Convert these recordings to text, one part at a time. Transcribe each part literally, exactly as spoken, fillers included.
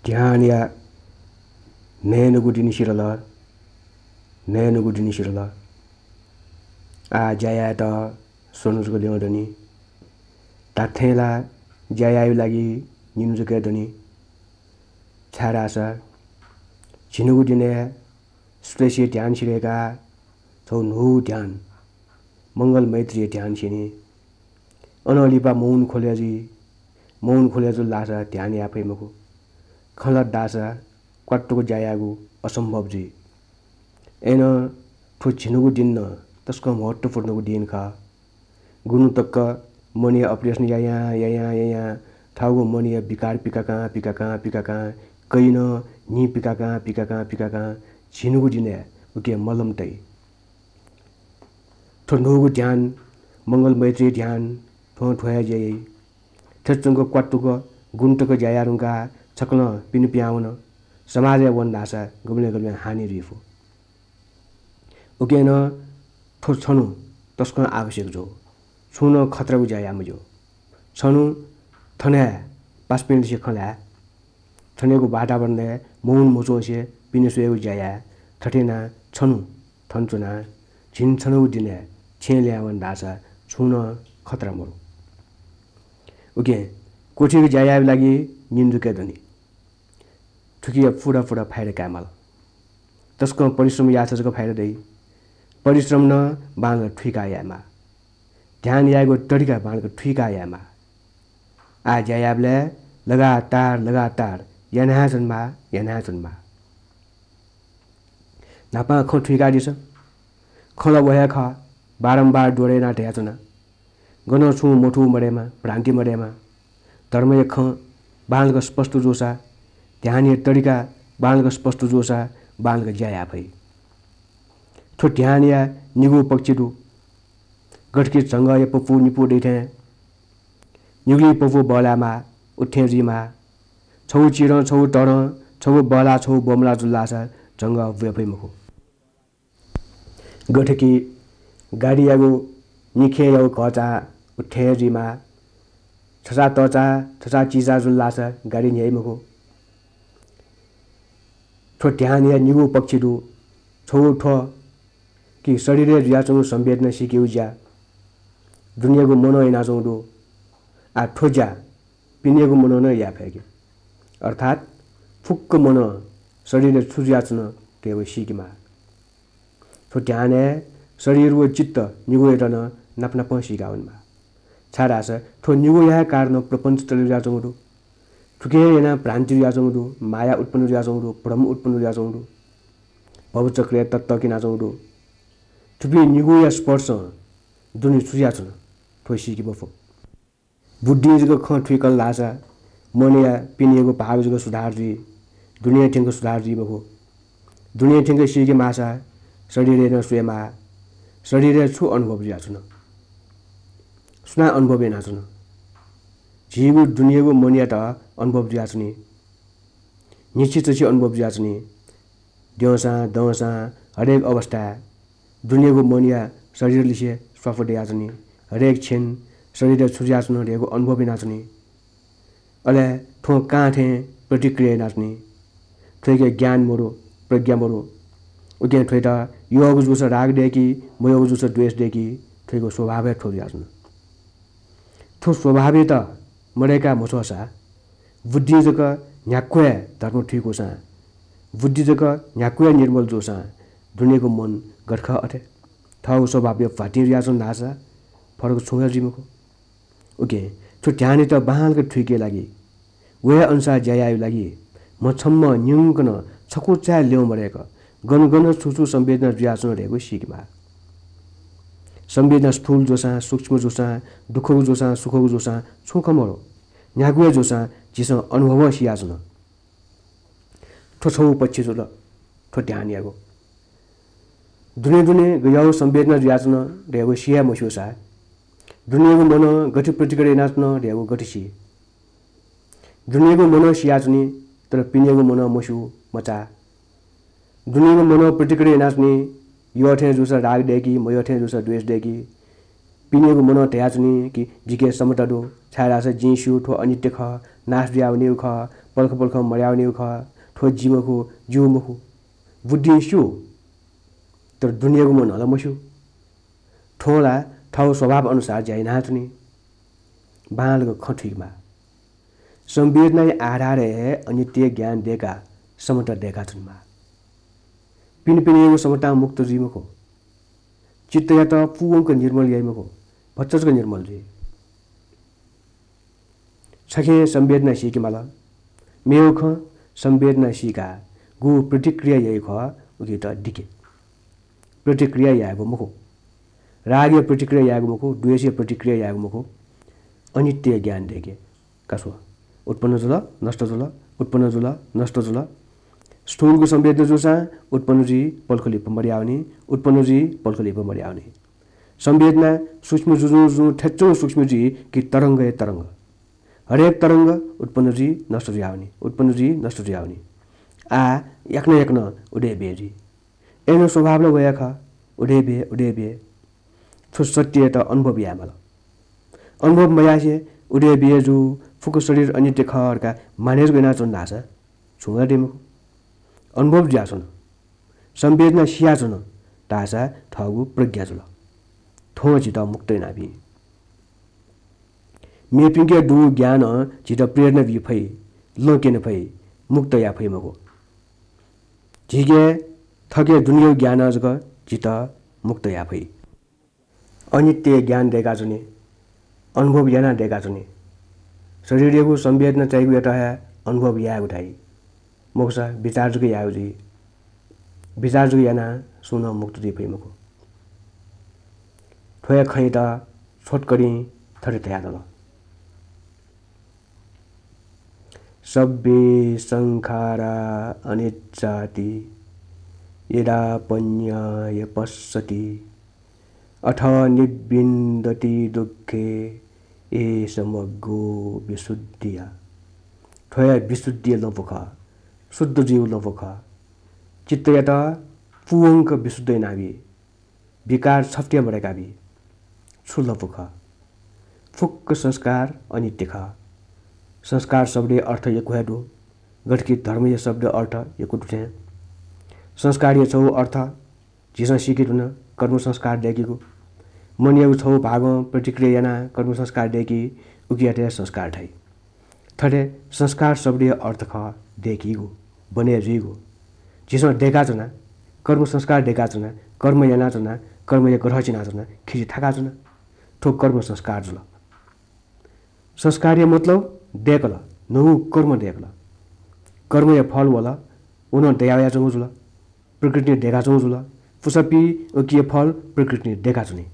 ध्यानया न्हय्‌न्हूगु दिं सिधल, न्हय्‌न्हूगु दिं सिधल। आः ज्या यायेत स्वन्हु जक ल्यं दनि। धात्थें ला ज्या यायेगु लागि निन्हु जक हे दनि। छाय्‌धाःसा झिन्हूगु दिनय् सुतय्‌सि ध्यान सिधय्‌काः छगू न्हूगु ध्यान, मंगल मैत्रीया ध्यान स्यनी। अनं लिपा मौन ख्वलय् जुइ। मौन ख्वलय् जुल धाःसा ध्यान याये फइ मखु। खँ ल्हात धाःसा क्वातुक ज्या यायेगु असम्भव जुइ। अय्‌नं थ्व झिन्हूगु दिं नं तसकं महत्त्वपूर्णगु दिं खः। गुन्हु तक मनया operation यायां, यायां, यायां थःगु मनया विकार पिकाकां, पिकाकां, पिकाकां, कयिनं न्हि पिकाकां, पिकाकां, पिकाकां झिन्हूगु दिनय् उके मलम तइ। थ्व न्हूगु ध्यान, मंगल मैत्री ध्यान, थ्वं थ्व हे ज्या याइ। थथे च्वंक क्वातुक गुन्हु तक ज्या याये धुंकाः छकलं पिने पिहां वन, समाजय् वन धाःसा गुबलें गुबलें हानि जुइ फु। उकिं नं थ्व छन्हु तसकं आवश्यक जू। छुं नं खतरागु ज्या याये मज्यू। छन्हु थन हे पासापिंलिसे खँ ल्हाये। थनयागु वातावरणय् मौन मच्वंसे पिने स्वयेगु ज्या याये। थथे यानाः छन्हु थन च्वनाः झिंछन्हूगु दिनय् छेँय् ल्यं वन धाःसा छुं नं खतरा मरु। उकिं क्वथिक ज्या यायेगु लागि निन्हु जक हे दनि। थुकिया पूरा पूरा फाइदा कायेमाल। तसकं परिश्रम याःसा जक फाइदा दइ। परिश्रम नं बांलाक थुइकाः यायेमाः। ध्यान यायेगु तरिका बांलाक थुइकाः यायेमाः। आः ज्या यायेबलय् लगातार, लगातार याना हे च्वनेमाः, याना हे च्वनेमाः। न्हापां खँ थुइकादिसँ। खँ ला व हे खः, बारम्बार दोहोरे यानाः धयाच्वना। गनं छुं मथू मदयेमा, भ्रान्ति मदयेमा। धर्मया खँ बांलाक स्पष्ट जूसा, ध्यानया तरिका बांलाक स्पष्ट जूसा, बांलाक ज्या याये फइ। थ्व ध्यानया निगू पक्ष दु। गथेकि झंगःया पपू निपू दइ थें निगुलिं पपू बहलायेमाः, उथें जुइमाः। छगू चिधं, छगू तःधं, छगू बहलाः, छगू बमलाः जुल धाःसा झंगः ब्वये फइ मखु। गथेकि गाडीयागु निखेंयागु घःचाः उथें जुइमाः। छचाः तःचाः, छचाः चिचाः जुल धाःसा गाडी न्ह्याइ मखु। थ्व ध्यानया निगू पक्ष दु। छगू थ्व कि शरीरय् जुयाच्वंगु संवेदना सीकेगु ज्या दुनियागु मनं यानाच्वंगु दु। आः थ्व ज्या पिनेगु मनं नं याये फय्‌के। अर्थात् फुक्क मनं शरीरय् छु जुयाच्वन धयागु सीकेमाः। थ्व ध्यानय् शरीर व चित्त निगूयात नं नाप नापं सीका वनेमाः। छाय्‌धाःसा थ्व निगूया हे कारणं प्रपञ्च तले जुयाच्वंगु दु। थुकिं हे यानाः भ्रान्ति जुयाच्वंगु दु, माया उत्पन्न जुयाच्वंगु दु, भ्रम उत्पन्न जुयाच्वंगु दु, भवचक्रय् ततक यानाच्वंगु दु। थुपिं निगूया स्पर्शं दुने छु जुयाच्वन, थ्व सीके मफु। बुद्धिं जक खँ थुइकल धाःसा मनया पिनेगु भाग जक सुधार जुइ, दुने थ्यंक सुधार जुइ मखु। दुने थ्यंक सीके माःसा शरीरय् नं स्वयेमाः। शरीरय् छु अनुभव जुयाच्वन? सुनां अनुभव यानाच्वन? झीगु दुनेगु मनयात अनुभव जुयाच्वनी। न्हिच्छि चछि अनुभव जुयाच्वनी। द्यंसां, दंसां, हरेक अवस्थाय् दुनेगु मनया शरीरलिसे स्वापू दयाच्वनी। हरेक क्षण शरीरय् छु जुयाच्वन धयागु अनुभव यानाच्वनी। अले थ्वं कां थें प्रतिक्रिया यानाच्वनी। थ्वयाके ज्ञान मदु, प्रज्ञा मदु। उकिं थ्वयात यःगु जूसा राग दय्‌की, मयःगु जूसा द्वेष दय्‌की, थ्वयागु स्वभाव हे थ्व जुयाच्वन। थ्व स्वभावयात मदय्‌का मछ्वःसा बुद्धिं जक न्ह्याक्व हे धर्म थुइकूसां, बुद्धि जक न्ह्याक्व हे निर्मल जूसां दुनेगु मन गथे खः अथे थःगु स्वभावया भ्वातिं जुयाच्वन धाःसा फरक छुं हे जुइ मखु। उकिं थ्व ध्यानयात बांलाक थुइके लागि, व हे अनुसार ज्या यायेगु लागि म्ह छम्ह न्यंकनं छकू चाय् ल्यं मदय्‌क गन गन छु छु संवेदना जुयाच्वन धयागु सीकेमाः। संवेदना स्थूल जूसां, सूक्ष्म जूसां, दुःखगु जूसां, सुखगु जूसां छुं खँ मदु। न्ह्यागु हे जूसां झीसं अनुभवं सियाच्वन। थ्व छगू पक्ष जुल, थ्व ध्यानयागु। दुने दुने गज्याःगु संवेदना जुयाच्वन धयागु सिया मस्यूसा, दुनेगु मनं गथे प्रतिक्रिया यानाच्वन धयागु गथे सी? दुनेगु मनं सियाच्वनी, तर पिनेगु मनं मस्यू, मचाः। दुनेगु मनं प्रतिक्रिया यानाच्वनी, यःथें जूसा राग दय्‌की, मयःथें जूसा द्वेष दय्‌की। पिनेगु मनं धयाच्वनी कि जिके समता दु, छाय्‌धाःसा जिं स्यू थ्व अनित्य खः, नाश जुयावनीगु खः, पलख पलखं मर्यावनीगु खः, थ्व जि मखु, ज्यू मखु। बुद्धिं स्यू, तर दुनेगु मनलं मस्यू। थ्वं ला थःगु स्वभाव अनुसार ज्या यानाच्वनी। बांलाक खँ थुइकेमाः। संवेदनाया आधारय् हे अनित्य ज्ञान दय्काः समता दय्काच्वनेमाः। पिनेपिनेगु समतां मुक्त जुइ मखु। चित्तयात पूवंक निर्मल याइ मखु, भचा जक निर्मल जुइ। छखें संवेदना सीकेमाल। मेगु खँ, संवेदना सीकाः गु प्रतिक्रिया याइ खः, उकियात दिके। प्रतिक्रिया यायेगु मखु। रागया प्रतिक्रिया यायेगु मखु, द्वेषया प्रतिक्रिया यायेगु मखु। अनित्य ज्ञान दय्के। का स्व। उत्पन्न जुल, नष्ट जुल, उत्पन्न जुल, नष्ट जुल। स्थूलगु संवेदना जूसां उत्पन्न जुइ, पलख लिपा मर्यावनी, उत्पन्न जुइ, पलख लिपा मर्यावनी। संवेदना सूक्ष्म जुजुं जुजुं थ्यच्वं सूक्ष्म जुइ कि तरंग हे तरंग। हरेक तरंग उत्पन्न जुइ, नष्ट जुयावनी, उत्पन्न जुइ, नष्ट जुयावनी। आ, याकनं याकनं उदय बे जुइ। अय्नं स्वभाव ला वया खः, उदय बे, उदय बे। थ्व सत्ययात अनुभव यायेमाल। अनुभव मयासें उदय बे जू, फुक्क शरीर अनित्य खः धकाः माने जक यानाच्वन धाःसा छुं वयादी मखु। अनुभव जुयाच्वन, संवेदना सियाच्वन धाःसा थःगु प्रज्ञा जुल। थ्वं झीत मुक्त यानाबी। मेपिंके दुगु ज्ञानं झीत प्रेरणा बी फइ, लँ क्यने फइ, मुक्त याये फइ मखु। झीके थःके दुनेगु ज्ञानं जक झीत मुक्त याये फइ। अनित्य ज्ञान दय्काच्वने, अनुभव यानाः दय्काच्वने। शरीरयागु संवेदना चाइगुयात हे अनुभव यायेगु धाइ। मखुसा विचार जक यायेगु जुइ। विचार जक यानाः सुं नं मुक्त जुइ फइ मखु। थ्व हे खँयात छोटकरीं थथे धयातल। सब्बे संखारा अनिच्चाति यदा पञ्ञाय पस्सति अथ निब्बिन्दति दुःखे एष मग्गो विशुद्धिया। थ्व हे विशुद्धिया लँपु खः, शुद्ध जुइगु लँपु खः। चित्तयात पूवंक विशुद्ध यानाबी। विकार छपति हे मदय्काबी। छु लँपु खः? फुक्क संस्कार अनित्य खः। संस्कार शब्दया अर्थ यक्व हे दु। गथे कि धर्मया शब्दया अर्थ यक्व दु थें। संस्कारया छगू अर्थ झीसं सीके धुन, कर्म संस्कार दय्कीगु। मनयागु छगू भागं प्रतिक्रिया यानाः कर्म संस्कार दय्की, उकियात हे संस्कार धाइ। थथे संस्कार शब्दया अर्थ खः दय्कीगु, बने जुइगु। झीसं दय्काच्वना, कर्म संस्कार दय्काच्वना, कर्म यानाच्वना, कर्मया ग्रह चिनाच्वना, खिचि थाकाच्वना। थ्व कर्म संस्कार जुल। संस्कारया मतलब दय्कल, न्हूगु कर्म दय्कल। कर्मया फल वल, व नं दयावयाच्वंगु जुल। प्रकृतिं दय्काच्वंगु जुल। पुसापी उकिया फल प्रकृतिं दय्काच्वनी।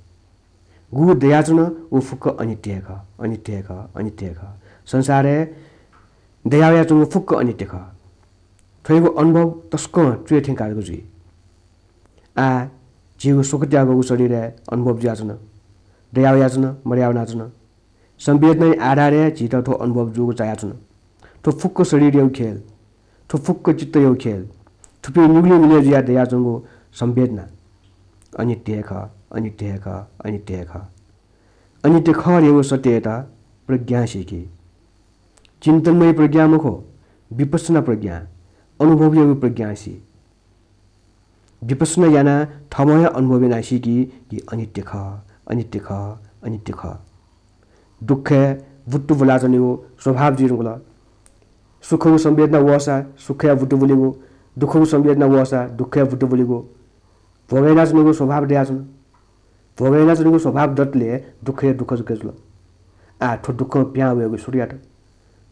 गु दयाच्वन, व फुक्क अनित्य हे खः, अनित्य हे खः, अनित्य हे खः। संसारय् दयावयाच्वंगु फुक्क अनित्य खः। थ्वयागु अनुभव तसकं च्वय् थें काजक जुइ। आः झीगु स्वकत्याःगु शरीरय् अनुभव जुयाच्वन, दयावयाच्वन, मदयावनाच्वन। संवेदनाया आधारय् झीत थ्व अनुभव जूगु चायाच्वन। थ्व फुक्क शरीरयागु खेल, थ्व फुक्क चित्तयागु खेल, थुपिं निगुलिं मिलय् जुयाः दयाच्वंगु संवेदना अनित्य हे खः, अनित्य हे खः, अनित्य हे खः। अनित्य खः धयागु सत्ययात प्रज्ञां सीकि। चिन्तनमय प्रज्ञा मखु, विपश्यना प्रज्ञा, अनुभवयागु प्रज्ञां सी। विपश्यना यानाः थःम्हं हे अनुभव यानाः सीकि कि अनित्य खः, अनित्य खः, अनित्य खः। दुःखय् बुत्तु बुलाच्वनीगु स्वभाव जुइधुंकल। सुखगु संवेदना वःसा सुखय् बुत्तु बुलीगु, दुःखगु संवेदना वःसा दुःखय् बुत्तु बुलीगु। भोग यानाच्वनीगु स्वभाव दयाच्वन। भोग यानाच्वनीगु स्वभाव दतले दुःख हे दुःख जक जुल। आः थ्व दुःखं पिहां वयेगु सुरु यात।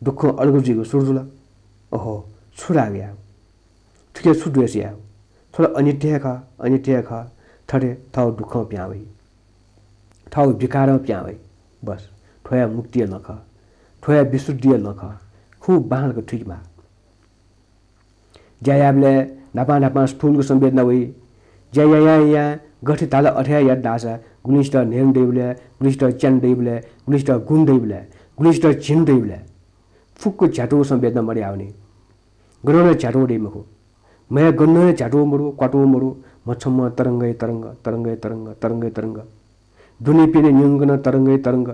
दुःखं अलग जुइगु सुरु जुल। ओहो, छु राग यायेगु? थुके छु द्वेष यायेगु? थ्व ला अनित्य हे खः, अनित्य हे खः। थथे थःगु दुःखं पिहां वइ। थःगु विकारं पिहां वइ। बस, थ्व हे मुक्तिया लँ खः। थ्व हे विशुद्धिया लँ खः। खुब बांलाक थुइकेमाः। ज्या याःबलय् न्हापां न्हापां स्थूलगु संवेदना वइ। ज्या यायां यायां गथे धाल अथे हे यात धाःसा गुलिसित न्हय्‌न्हु दइबलय्, गुलिसित च्यान्हु दइबलय्, गुलिसित गुन्हु दइबलय्, गुलिसित झिन्हु दइबलय् फुक्क झ्यातुगु संवेदना मदयावनी। गनं नं झ्यातुगु दइ मखु। म्हय् गनं हे झ्यातुगु मदु, क्वातुगु मदु, म्हछम्ह तरंगय् तरंग, तरंगय् तरंग, तरंगय् तरंग। दुने पिने न्यंकनं तरंगय् तरंग।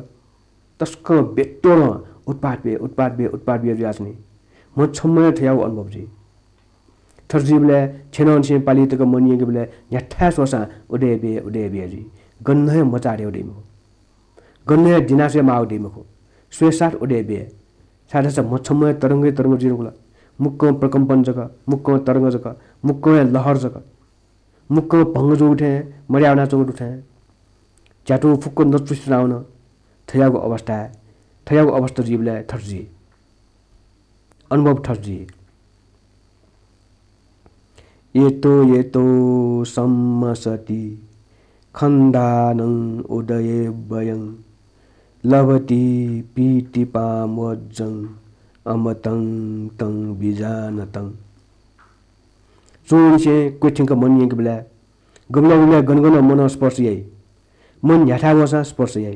तसकं बेतोडं उत्पात बे, उत्पात बे, उत्पात बे जुयाच्वनी। म्ह छम्ह हे थज्याःगु अनुभव जुइ। थथे जुइबलय् छेनंनिसें पालि तक मन यंकेबलय् न्ह्याथाय् स्वःसां उदय बे, उदय बे जुइ। गन हे मचाःथें उदय मखु। गन हे दिनासे माः उदय मखु। स्वयेसाथ उदय बे। छाय्धाःसा म्ह छम्ह हे तरंगै तरंग जुइ धुंकल। मुक्कं प्रकम्पन जक, मुक्कं तरंग जक, मुक्कं हे लहर जक। मुक्कं भंग जूगु थें मदया वनाच्वंगु दु थें। झ्यातुं फुक्क नतुस्ति जुयावन। थज्याःगु अवस्थाय्, थज्याःगु अवस्था जुइबलय् थथे जुइ। अनुभव थथे जुइ। यतो यतो सम्मसति खण्डानं उदये वयं लभति पीतिपामोज्जं अमतं तं विजानतं। च्वंनिसें क्वथ्यंक मन यंकेबलय् गबलय् गबलय् गन गन मनं स्पर्श याइ। मन न्ह्याथाय् वःसां स्पर्श याइ।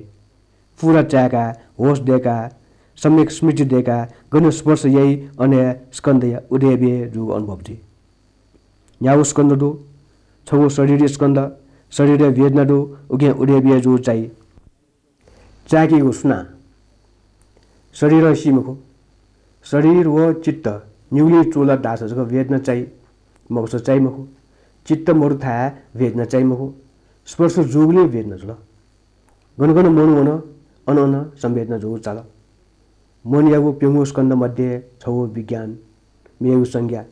पूरा चाय्काः, होश दय्काः, सम्यक स्मृति दय्काः गन स्पर्श याइ, अन हे स्कन्धया उदय बे जूगु अनुभव जुइ। न्यागू स्कन्ध दु, छगू शरीरया स्कन्ध, शरीरया वेदना दु, उकिं उदय बे जूगु चाइ। चाय्केगु सुनां? शरीरं सी मखु। शरीर व चित्त निगुलिं चूलात धाःसा जक वेदना चाइ, मखुसा चाइ मखु। चित्त मदुथाय् वेदना चाइ मखु। स्पर्श जूगुलिं वेदना जुल। गन गन मन वन, अन अन संवेदना जूगु चाल। मनयागु प्यंगू स्कन्ध मध्ये छगू विज्ञान, मेगु संज्ञा।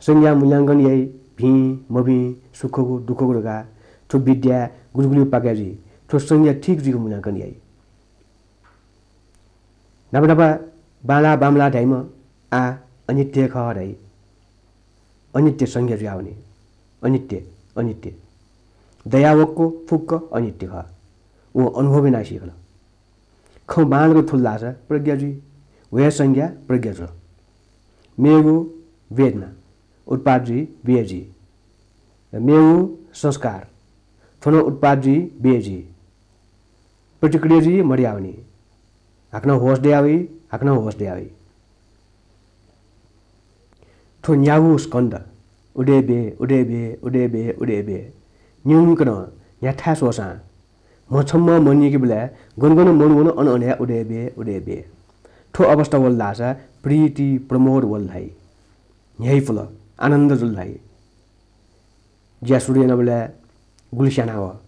संज्ञा मूल्यांकन याइ, भिं, मभिं, सुखगु, दुःखगु धकाः। थ्व विद्याय् गुलि गुलि पाकय् जुइ। थ्व संज्ञा ठीक जुइक मूल्यांकन याइ। न्हापा न्हापा बांलाः बांमलाः धाइम्ह आः अनित्य खः धाइ। अनित्य संज्ञा जुयावनी। अनित्य, अनित्य। दयावक्व फुक्क अनित्य खः। वं अनुभव यानाः सीकल। खँ बांलाक थुल धाःसा प्रज्ञा जुइ। व हे संज्ञा प्रज्ञा जुल। मेगु वेदना उत्पाद जुइ, बे जुइ। मेगु संस्कार थ्व नं उत्पाद जुइ, बे जुइ। प्रतिक्रिया जुइ, मदयावनी। हाकनं होश दयावइ, हाकनं होश दयावइ। थ्व न्यागू स्कन्ध उदय बे, उदय बे, उदय बे, उदय बे। न्यंकनं न्ह्याथाय् स्वःसां म्ह छम्ह मन यंकेबलय् गन गन मन वन, अन अन हे उदय बे, उदय बे। थ्व अवस्था वल धाःसा प्रीति प्रमोद वल धाइ। न्ह्यइपुल, आनन्द जुल धाइ। ज्या सुरु यानाबलय् गुलि स्यानाव,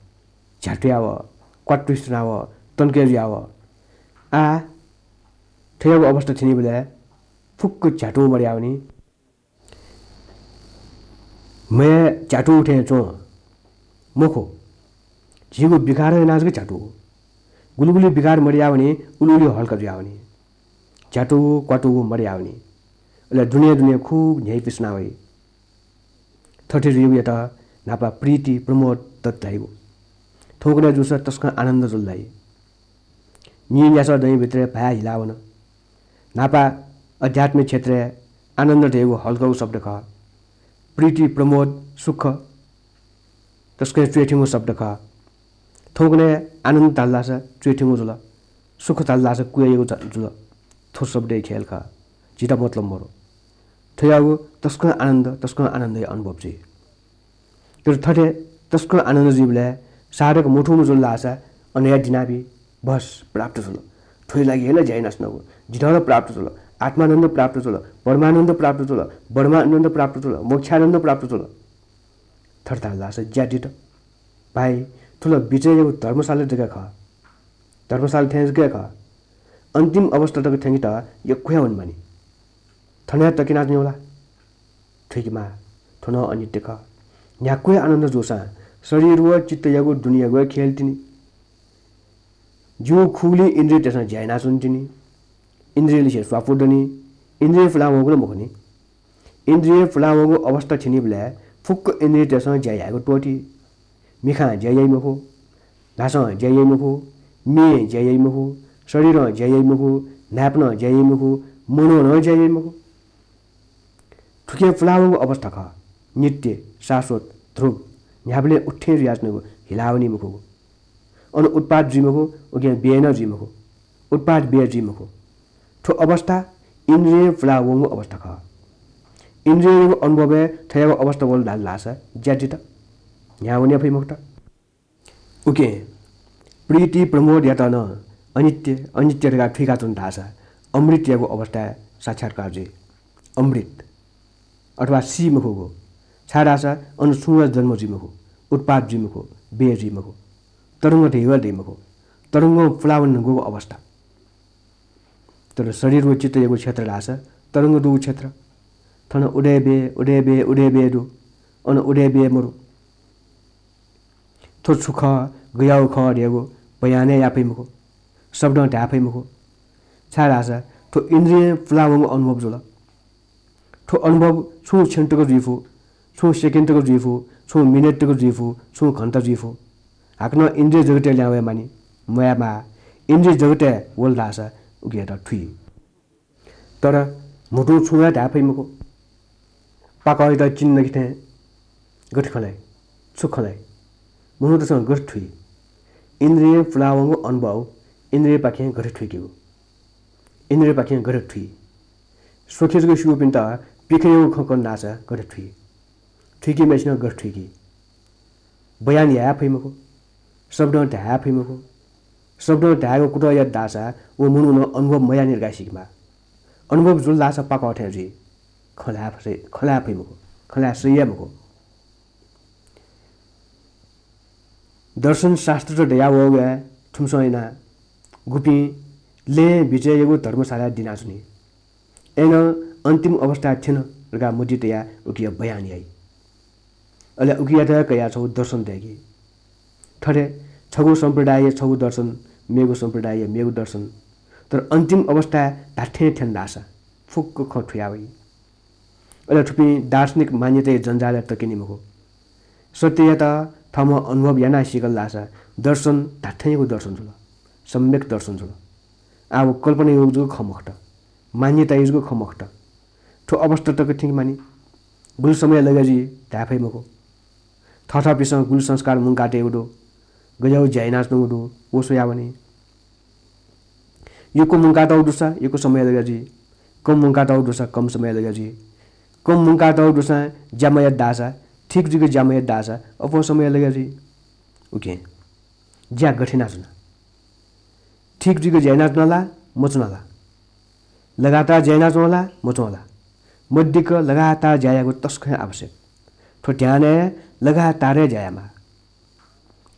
झ्यातुयाव, क्वातुइस च्वनाव, तनके जुयाव। आः थ्वयागु अवस्था थ्यनीबलय् फुक्क झ्यातुं मदयावनी। म्ह झ्यातुं थें च्वं मखु। झीगु विकार यानाः जक झ्यातुं। गुलि गुलि विकार मदयावनी, उलि उलि हल्का जुयावनी। झ्यातुं क्वातुं मदयावनी। अले दुने दुने खुब न्ह्यइपुसे च्वनावइ। थथे जुइगुयात न्हापा प्रीति प्रमोद दत धाइगु। थौंकन्हय् जूसा तसकं आनन्द जुल धाइ। नीन्यासः दँया भित्रय् भाय् हिलावन। न्हापा अध्यात्म क्षेत्रय् आनन्द धयागु हल्कागु शब्द खः। प्रीति प्रमोद सुख तसकं च्वय् थ्यंगु शब्द खः। थौंकन्हय् आनन्द धाल धाःसा च्वय् थ्यंगु जुल, सुख धाल धाःसा क्वय् याइगु ज-, जुल। थ्व शब्दया खेल खः, झीत मतलब मरु। थ्वयागु तसकं आनन्द, तसकं आनन्दया अनुभव जुइ। तर थथे तसकं आनन्द जुइबलय् साधक मथूम्ह जुल धाःसा अन हे दिनाबी, बस प्राप्त जुल। थ्वया लागि हे ला ज्या यानाच्वनागु। जितः ला प्राप्त जुल, आत्मानन्द प्राप्त जुल, परमानन्द प्राप्त जुल, ब्रह्मानन्द प्राप्त जुल, मोक्षानन्द प्राप्त जुल। थथे धाल धाःसा ज्या दित। भाइ, थ्व ला बिचय्‌यागु धर्मशाला जक खः। धर्मशाला थें जक खः। अन्तिम अवस्था तक थ्यंकेत यक्व हे वनेमानि। थन हे तकेनाच्वनेगु ला? थुइकेमाः, थ्व नं अनित्य खः। न्ह्याक्व हे आनन्द जूसां शरीर व चित्तयागु दुनेयागु हे खेल तिनि। जिगु खुगुलिं इन्द्रियतय्‌सं ज्या यानाच्वन तिनि। इन्द्रियलिसे स्वापू दनि। इन्द्रिय पुलां वंगु ला मखुनि। इन्द्रिय पुलां वंगु अवस्था थ्यनीबलय् फुक्क इन्द्रियतय्‌सं ज्या यायेगु त्वःती। मिखां ज्या याइ मखु, ल्हासं ज्या याइ मखु, मिं ज्या याइ मखु, शरीरं ज्या याइ मखु, न्हाय्पनं ज्या याइ मखु, मनं नं ज्या याइ मखु। थुकिं पुलावंगु अवस्था खः। नित्य, शाश्वत, ध्रुव, न्ह्याबलें उथें जुयाच्वनेगु हिलावनी मखुगु। अन उत्पाद जुइ मखु, उकिं व्यय नं जुइ मखु। उत्पाद व्यय जुइ मखु। थ्व अवस्था इन्द्रियं पुलावंगु अवस्था खः। इन्द्रियंयागु अनुभवय् थ्वयागु अवस्था वल धाल धाःसा ज्या दित। न्ह्यावने फइ मखुत। उकिं प्रीति प्रमोदयात नं अनित्य, अनित्य धकाः थुइकाच्वन धाःसा अमृतयागु अवस्थाय् साक्षात्कार जुइ। अमृत अथवा सी मखुगु, छाय्धाःसा अन छुं हे जन्म जुइ मखु, उत्पाद जुइ मखु, व्यय जुइ मखु, तरंग धइगु दइ मखु, तरंगं पुलावन धुंकूगु अवस्था। तर शरीर व चित्तयागु क्षेत्र धाःसा तरंग दुगु क्षेत्र। थन उदय व्यय, उदय व्यय, उदय व्यय दु, अन उदय व्यय मरु। थ्व छु खः, गयागु खः धयागु बयान हे याये फइ मखु, शब्दं धाये फइ मखु। छाय्धाःसा थ्व इन्द्रियं पुलावंगु अनुभव जुल। थ्व अनुभव छुं क्षण तक जुइ फु, छुं सेकेन्ड तक जुइ फु, छुं मिनेट तक जुइ फु, छुं घण्टा जुइ फु। हाकनं इन्द्रिय जगतय् ल्याहां वये मानि, मयायेमाः। इन्द्रिय जगतय् वल धाःसा उकियात थुइ। तर म्हुतुं छुं हे धाये फइ मखु। पाकःयात चिन्ह नके थें गथे खँ ल्हाइ, छु खँ ल्हाइ, मनूतय्सं गथे थुइ? इन्द्रियं पुलावंगु अनुभव इन्द्रियपाखें गथे थुइकेगु, इन्द्रियपाखें गथे थुइ? स्वखे जक स्यूपिन्त पिखंयागु खँ कन धाःसा गथे थुइ? थुइकीम्हय्सिनं गथे थुइकी? बयान याये फइ मखु, शब्दं धाये फइ मखु। शब्दं धायेगु कुतः यात धाःसा व मनूनं अनुभव मयानि धकाः सीकेमाः। अनुभव जुल धाःसा पाकः थें जुइ। खँ ल्हाये फइ, खँ ल्हाये फइ मखु, खँ ल्हाये सही हे मखु। दर्शन शास्त्रत दयावःगु हे थुमिसं यानाः गुपिं लँय् बिचय्यागु धर्मशालाय् दिनाच्वनी। अय्नं अन्तिम अवस्थाय् थ्यन धकाः मतिइ तयाः उकिया बयान याइ। अले उकियात हे कयाः छगू दर्शन दय्की। थथे छगू सम्प्रदायया छगू दर्शन, मेगु सम्प्रदायया मेगु दर्शन। तर अन्तिम अवस्थाय् धात्थें थ्यन धाःसा फुक्क खँ थुया वइ। अले थुपिं दार्शनिक मान्यताया जन्जालय् तकेनि मखु। सत्ययात थःम्हं अनुभव यानाः सीकल धाःसा दर्शन धात्थेंयागु दर्शन जुल, सम्यक दर्शन जुल। आः व कल्पनायागु जक खँ मखुत, मान्यतायागु जक खँ मखुत। थ्व अवस्था तक थ्यंके मानि। गुलि समय लगे जुइ धाये फइ मखु। थःथःपिन्सं गुलि संस्कार मुंकातयागु दु, गज्याःगु ज्या यानाच्वनागु दु, व स्वयावनी। यक्व मुंकातःगु दुसा यक्व समय लगे जुइ, कम मुंकातःगु दुसा कम समय लगे जुइ। कम मुंकातःगु दुसां ज्या मयात धाःसा, ठीक जुइक ज्या मयात धाःसा अप्वः समय लगे जुइ। उकिं ज्या गथे यानाच्वना? ठीक जुइक ज्या यानाच्वना ला, मच्वना ला? लगातार ज्या यानाच्वं ला, मच्वं ला? मदिक्क लगातार ज्या यायेगु तसकं हे आवश्यक। थ्व ध्यानय् लगातार हे ज्या यायेमाः।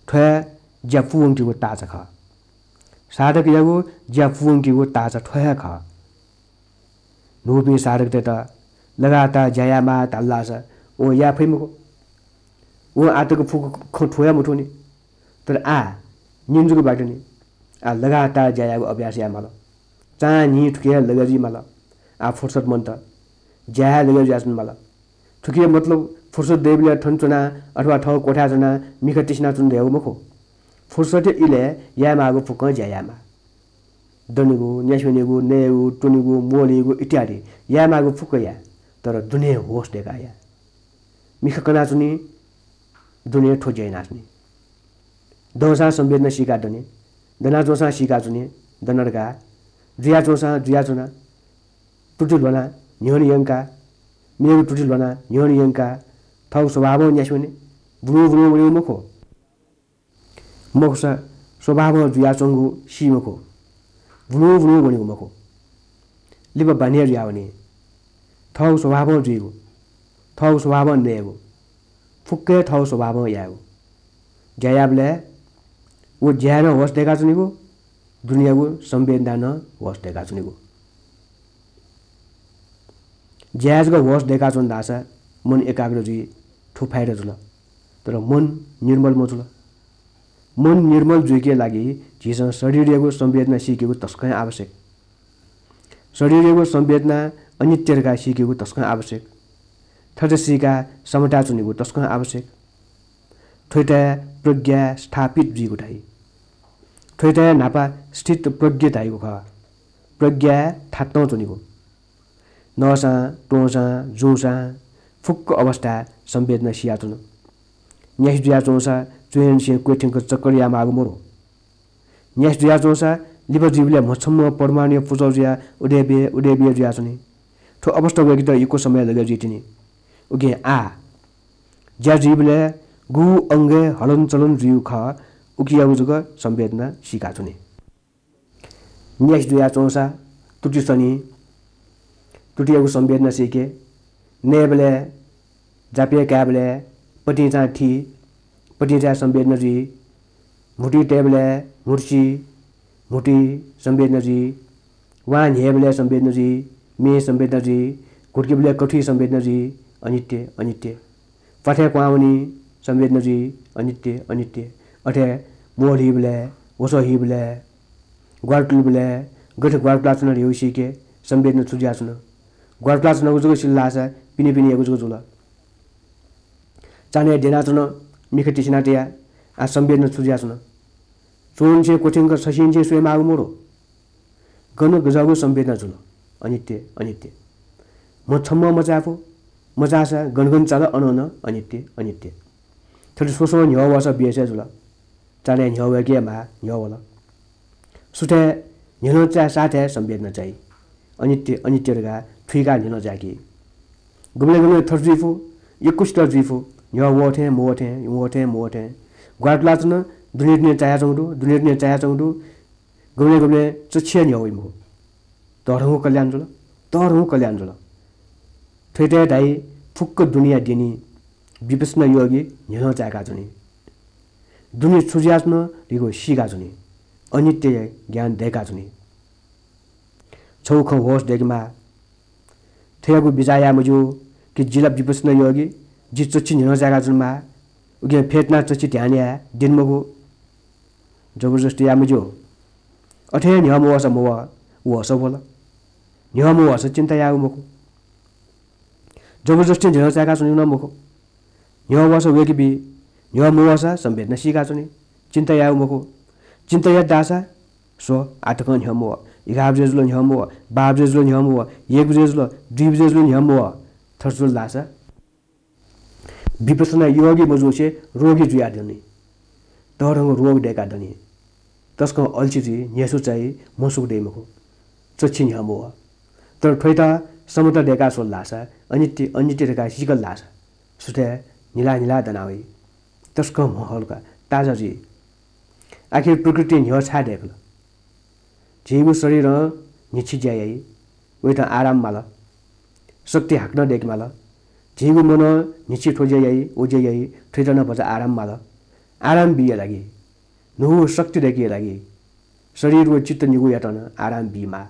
थ्व हे ज्या पूवंकेगु ताःचा खः। साधकयागु ज्या पूवंकेगु ताःचा थ्व हे खः। न्हूपिं साधकतय्त लगातार ज्या यायेमाः धाल धाःसा वं याये फइ मखु। वं आःतक फुक्क खँ थुया मथूनि। तर आः न्हिं जक बाकी दनि। आः लगातार ज्या यायेगु अभ्यास याये माल। चां न्हिं थुकी हे लगे जुइ माल। आः फुर्सद मन्त। ज्या हे लगे जुयाच्वने माल। थुकिया मतलब फुर्सद दइबलय् थन च्वनाः अथवा थःगु कोठाय् च्वनाः मिखा तिसिनाच्वने धयागु मखु। फुर्सदया इलय् यायेमाःगु फुक्कं ज्या यायेमाः। दनेगु, न्यासि वनेगु, नयेगु, त्वनेगु, मोलयेगु इत्यादि यायेमाःगु फुक्क या, तर दुने होश दय्काः या। मिखा कनाच्वनी, दुने थ्व ज्या यानाच्वनी। दंसां संवेदना सीकाः दने, दनाच्वंसां सीकाच्वने, दना धकाः, जुयाच्वंसां जुयाच्वना, त्रुटि ल्ह्वनाः न्ह्यःने यंकाः, मेगु त्रुटि ल्ह्वनाः न्ह्यःने यंकाः, थःगु स्वभावं न्यासि वने, भुलुं भुलुं वनेगु मखु। मखुसा स्वभावं जुयाच्वंगु सी मखु, भुलुं भुलुं वनेगु मखु। लिपा बान्हे जुयावनी। थःगु स्वभावं जुइगु, थःगु स्वभावं नयेगु, फुक्क हे थःगु स्वभावं यायेगु। ज्या याःबलय् व ज्याय् नं होश दय्काच्वनेगु, दुनेयागु संवेदनाय् नं होश दय्काच्वनेगु। ज्याय् जक होश दय्काच्वन धाःसा मन एकाग्र जुइ, थ्व फाइदा जुल। तर मन निर्मल मजुल। मन निर्मल जुइके लागि झीसं शरीरयागु संवेदना सीकेगु तसकं आवश्यक। शरीरयागु संवेदना अनित्य धकाः सीकेगु तसकं आवश्यक। थथे सीकाः समताय् च्वनेगु तसकं आवश्यक। थ्वयात प्रज्ञा स्थापित जुइगु धाइ। थ्वयात न्हापा स्थित प्रज्ञ धाइगु खः। प्रज्ञा थातं च्वनेगु। नःसां, त्वंसां, जूसां फुक्क अवस्थाय् संवेदना सियाच्वन। न्यासि जुयाच्वंसा च्वय्निसें क्वथ्यंक चक्कर यायेमाःगु मरु। न्यासि जुयाच्वंसा लिपा जुइबलय् म्हछम्ह परमाणुया पुचः जुयाः उदयबे, उदयबे जुयाच्वनी। थ्व अवस्था वय्केत यक्व समय लगे जुइतिनि। उकिं आः ज्या जुइबलय् गु अंगय् हलनचलन जुइगु खः, उकियागु जक संवेदना सीकाच्वनी। न्यासि जुयाच्वंसा त्रुटि सनी, तुतियागु संवेदना सीके। नयेबलय्, जापय् कायेबलय् पतिंचां थी, पतिंचाया संवेदना जुइ। म्हुतुइ तयेबलय् म्हुतुसि, म्हुतुइ संवेदना जुइ। वां न्ह्ययेबलय् संवेदना जुइ, मेय् संवेदना जुइ। घुटुकेबलय् कथुइ संवेदना जुइ। अनित्य, अनित्य। प्वाथय् क्वहां वनी, संवेदना जुइ, अनित्य, अनित्य। अथे मोल हीबलय्, वसः हीबलय्, ग्वारातुलबलय् गथे ग्वारातुलाच्वन धइगु सीके, संवेदना छु जुयाच्वन। ग्वारातुलाच्वनागु जक सिल धाःसा पिने पिने यागु जक जुल। चान्हय् द्यनाच्वन, मिखा तिसिना तया, आः संवेदना छु जुयाच्वन। च्वंनिसें क्वथ्यंक छसिंनिसें स्वयेमाःगु मदु। गन गज्याःगु संवेदना जुल। अनित्य, अनित्य। म्ह छम्ह मचायेफु, मचाःसा गन गन चाल अनं नं अनित्य, अनित्य। थथे स्वस्वं न्ह्यः वःसा बेस हे जुल। चान्हय् न्ह्यः वय्के हे माः, न्ह्यः वल। सुथय् न्ह्यलं चाये साथय् संवेदना चाइ। अनित्य, अनित्य धकाः थुइकाः न्ह्यलं चाय्की। गुबलें गुबलें थथे जुइफु, यक्वसित जुइफु, न्ह्यः वःथें मवःथें, वःथें मवःथें। ग्वारातुलाच्वन, दुने दुने चायाच्वंगु दु, दुने दुने चायाच्वंगु दु। गुबलें गुबलें चच्छि हे न्ह्यः वइ मखु। तःधंगु कल्याण जुल, तःधंगु कल्याण जुल। थ्वयात धाइ फुक्क दुनेया द्यनी विपश्यना योगी न्ह्यलं चाय्काच्वनी। दुने छु जुयाच्वन धइगु सीकाच्वनी। अनित्यया ज्ञान दय्काच्वनी। छगू खँ होश दय्केमाः। थ्वयागु बिचाः याये मज्यू कि जि ला विपश्यना योगी, जि चच्छि न्ह्यलं चाय्काच्वनेमाः, उकिं फ्यतुनाः चच्छि ध्यान याये द्यने मखु। जबरजस्ती याये मज्यू। अथे हे न्ह्यः मवःसा मवः, वःसा वल। न्ह्यः मवःसा चिन्ता यायेगु मखु। जबरजस्ती न्ह्यलं चाय्काच्वनेगु नं मखु। न्ह्यः वःसा वय्के बी, न्ह्यः मवःसा संवेदना सीकाच्वनी। चिन्ता यायेगु मखु। चिन्ता यात धाःसा स्व, आः तकं न्ह्यः मवः, एघार बजे जुल न्ह्यः मवः, बाह्र बजे जुल न्ह्यः मवः, एक बजे जुल, दुई बजे जुल न्ह्यः मवः। थथे जुल धाःसा विपश्यना योगी मजुसे रोगी जुयाः दनि। तःधंगु रोग दय्काः दनि। तसकं अल्छी जुइ, न्ह्यसु चाइ, म्हसुक दइ मखु। चच्छि न्ह्यः मवः। तर थ्वयात समता दय्काः स्वल धाःसा, अनित्य, अनित्य धकाः सीकल धाःसा, सुथय् न्हिला न्हिला दना वइ। तसकं म्ह हल्का, ताजा जुइ। आखिर प्रकृतिं न्ह्यः छाय् दय्कल? झीगु शरीरं न्हिच्छि ज्या याइ, वयात आराम माल। शक्ति हाकनं दय्के माल। झीगु मनं न्हिच्छि थ्व ज्या याइ, व ज्या याइ, थ्वयात नं भचा आराम माल। आराम बीया लागि, न्हूगु शक्ति दय्केया लागि शरीर व चित्त निगूयात नं आराम बीमाः।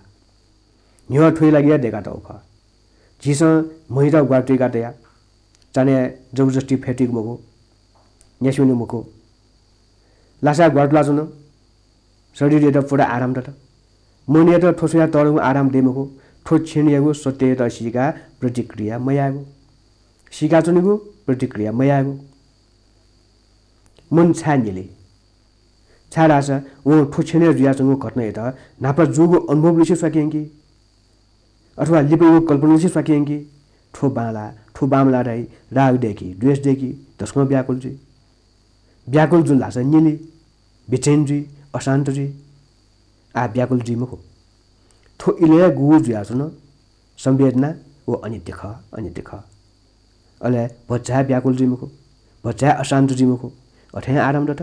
न्ह्यः थ्वया लागि हे दय्कातःगु खः। झीसं म्हयात ग्वारातुइका तया, चान्हय् जबरजस्ती फ्यतुइगु मखु, न्यासि वनेगु मखु। लासाय् ग्वारातुलाच्वन, शरीरयात पूरा आराम दत। मनयात थ्व स्वयाः तःधंगु आराम दइ मखु। थ्व क्षणयागु सत्ययात सीकाः प्रतिक्रिया मयायेगु, सीकाच्वनेगु, प्रतिक्रिया मयायेगु। मन छाय् न्यली? छाय्धाःसा वं थ्व क्षणय् जुयाच्वंगु घटनायात न्हापा जूगु अनुभवलिसे स्वाके यंकी, अथवा लिपायागु कल्पनालिसे स्वाके यंकी। थ्व बांलाः, थ्व बांमलाः धाइ, राग दय्की, द्वेष दय्की, तसकं व्याकुल जुइ। व्याकुल जुल धाःसा न्यली, बेचैन जुइ, अशान्त जुइ। आः व्याकुल जुइ मखु। थ्व इलय् गुगु जुयाच्वन, संवेदना व अनित्य खः, अनित्य खः। अले भचा हे व्याकुल जुइ मखु, भचा हे अशान्त जुइ मखु, अथें आराम दत।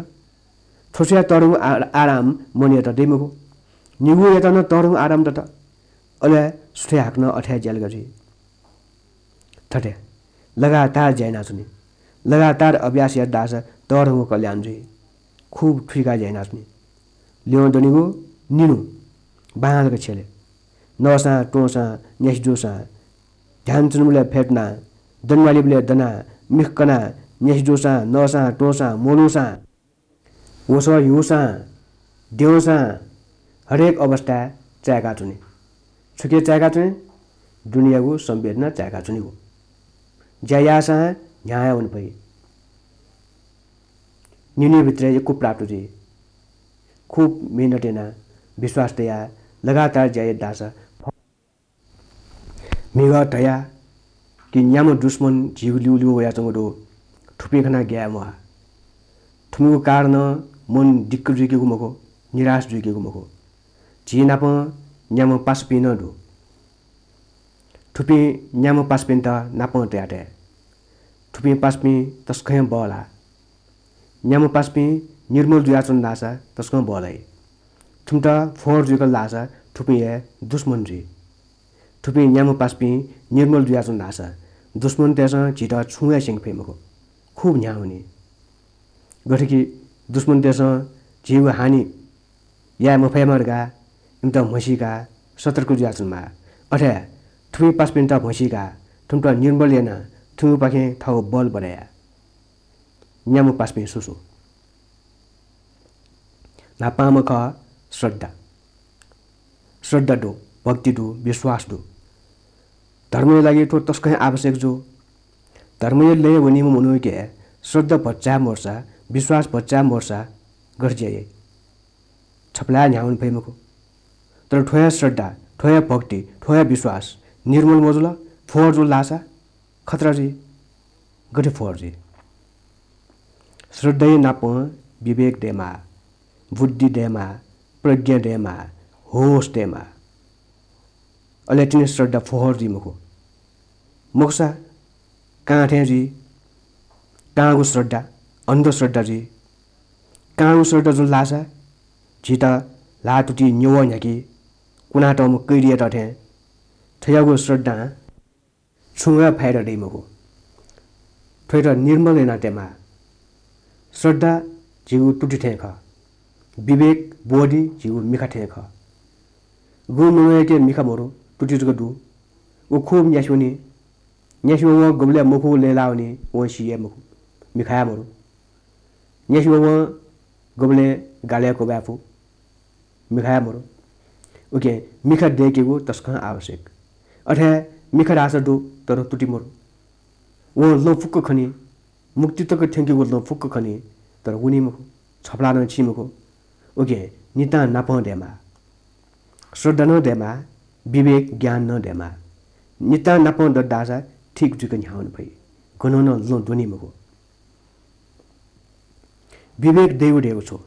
थ्व स्वयाः तःधंगु आ-, आराम मनयात दइ मखु, निगूयात नं तःधंगु आराम दत। अले सुथय् हाकनं अथे हे ज्यालगय् जुइ। थथे लगातार ज्या यानाच्वनी। लगातार अभ्यास यात धाःसा तःधंगु कल्याण जुइ। खुब थुइकाः ज्या यानाच्वनी। ल्यं दनिगु निन्हु बांलाक छ्यले। नःसां, त्वंसां, न्यासि जूसां, ध्यान च्वनेबलय् फ्यतुनाः, दनेमालीबलय् दनाः, मिख कनाः, न्यासि जूसां, नःसां, त्वंसां, मोलूसां, वसः ह्यूसां, द्यंसां हरेक अवस्थाय् चाय्काच्वनी। छुकिया चाय्काच्वनी? दुनेयागु संवेदना चाय्काच्वनीगु। ज्या याःसां न्ह्याः हे वने फइ। न्हिनय् भित्रय् यक्व प्राप्त जुइ। खुब मेहनत यानाः, विश्वास तयाः लगातार ज्या यात धाःसा म्हिगः धया कि न्याम्ह दुश्मन झीगु ल्यूल्यू वयाच्वंगु दु। थुपिं खनाः ग्याये म्वाः। थुमिगु कारणं मन दिक्क जुइकेगु मखु, निराश जुइकेगु मखु। झी नाप न्याम्ह पासापिं नं दु। थुपिं न्याम्ह पासापिन्त नापं तया तये। थुपिं पासापिं तसकं हे बहला। न्याम्ह पासापिं निर्मल जुयाच्वन धाःसा तसकं बहला हे। थुमित फोहोर जुइकल धाःसा थुपिं हे दुश्मन जुइ। थुपिं न्याम्ह पासापिं निर्मल जुयाच्वन धाःसा दुश्मनतय्‌सं झीत छुं हे स्यंके फइ मखु। खुब न्ह्याः वनी। गथे कि दुश्मनतय्‌सं झीगु हानि याये मफयेमा धकाः इमित म्हसीकाः सतर्क जुयाच्वनेमाः। अथे हे थुपिं पासापिन्त म्हसीकाः थुमित निर्मल यानाः थुमिपाखें थःगु बल बढे या। न्याम्ह पासापिं सु सु? न्हापांम्ह खः श्रद्धा। श्रद्धा दु, भक्ति दु, विश्वास दु। धर्मया लागि थ्व तसकं हे आवश्यक जू। धर्मया लँय् वनीम्ह मनूके श्रद्धा भचा मरुसा, विश्वास भचा मरुसा गथे ज्या याइ? छपलाः न्ह्याः वने फइ मखु। तर थ्व हे श्रद्धा, थ्व हे भक्ति, थ्व हे विश्वास निर्मल मजुल, फोहोर जुल धाःसा खतरा जुइ। गथे फोहोर जुइ? श्रद्धाया नापं विवेक दयेमाः, बुद्धि दयेमाः, प्रज्ञा दयेमाः, होश दयेमाः। अले तिनि श्रद्धा फोहोर जुइ मखु। मखुसा कां थें जुइ। कांगु श्रद्धा, अन्धश्रद्धा जुइ। कांगु श्रद्धा जुल धाःसा झीत ल्हाः तुति न्यवः न्ह्याकी कुनातःम्ह कैदीयात थें। थज्याःगु श्रद्धां छुं हे फाइदा दइ मखु। थ्वयात निर्मल यानातयेमाः। श्रद्धा झीगु तुति थें खः। विवेक बोधि झीगु मिखा थें खः। गुम्ह मनूयाके मिखा मरु, तुति जक दु। व खुब न्यासि वनी। न्यासि वं गुबलय् मखुगु लय् लाः वनी, वं सी हे मखु, मिखा हे मरु। न्यासि वं गुबलय् गालय् क्वब्वाये फु, मिखा हे मरु। उकिं मिखा दय्केगु तसकं आवश्यक। अथे हे मिखा धाःसा दु, तर तुति मरु। वं लँ फुक्क खनी, मुक्ति तक थ्यंकेगु लँ फुक्क खनी, तर वनी मखु, छपलाः नं छि मखु। उकिं नितां नापं दयेमाः। श्रद्धा नं दयेमाः, विवेक ज्ञान नं दयेमाः। नितां नापं दत धाःसा ठीक जुइक न्ह्याः वने फइ। गनं नं लँ द्वनी मखु। विवेक दइगु धइगु छु?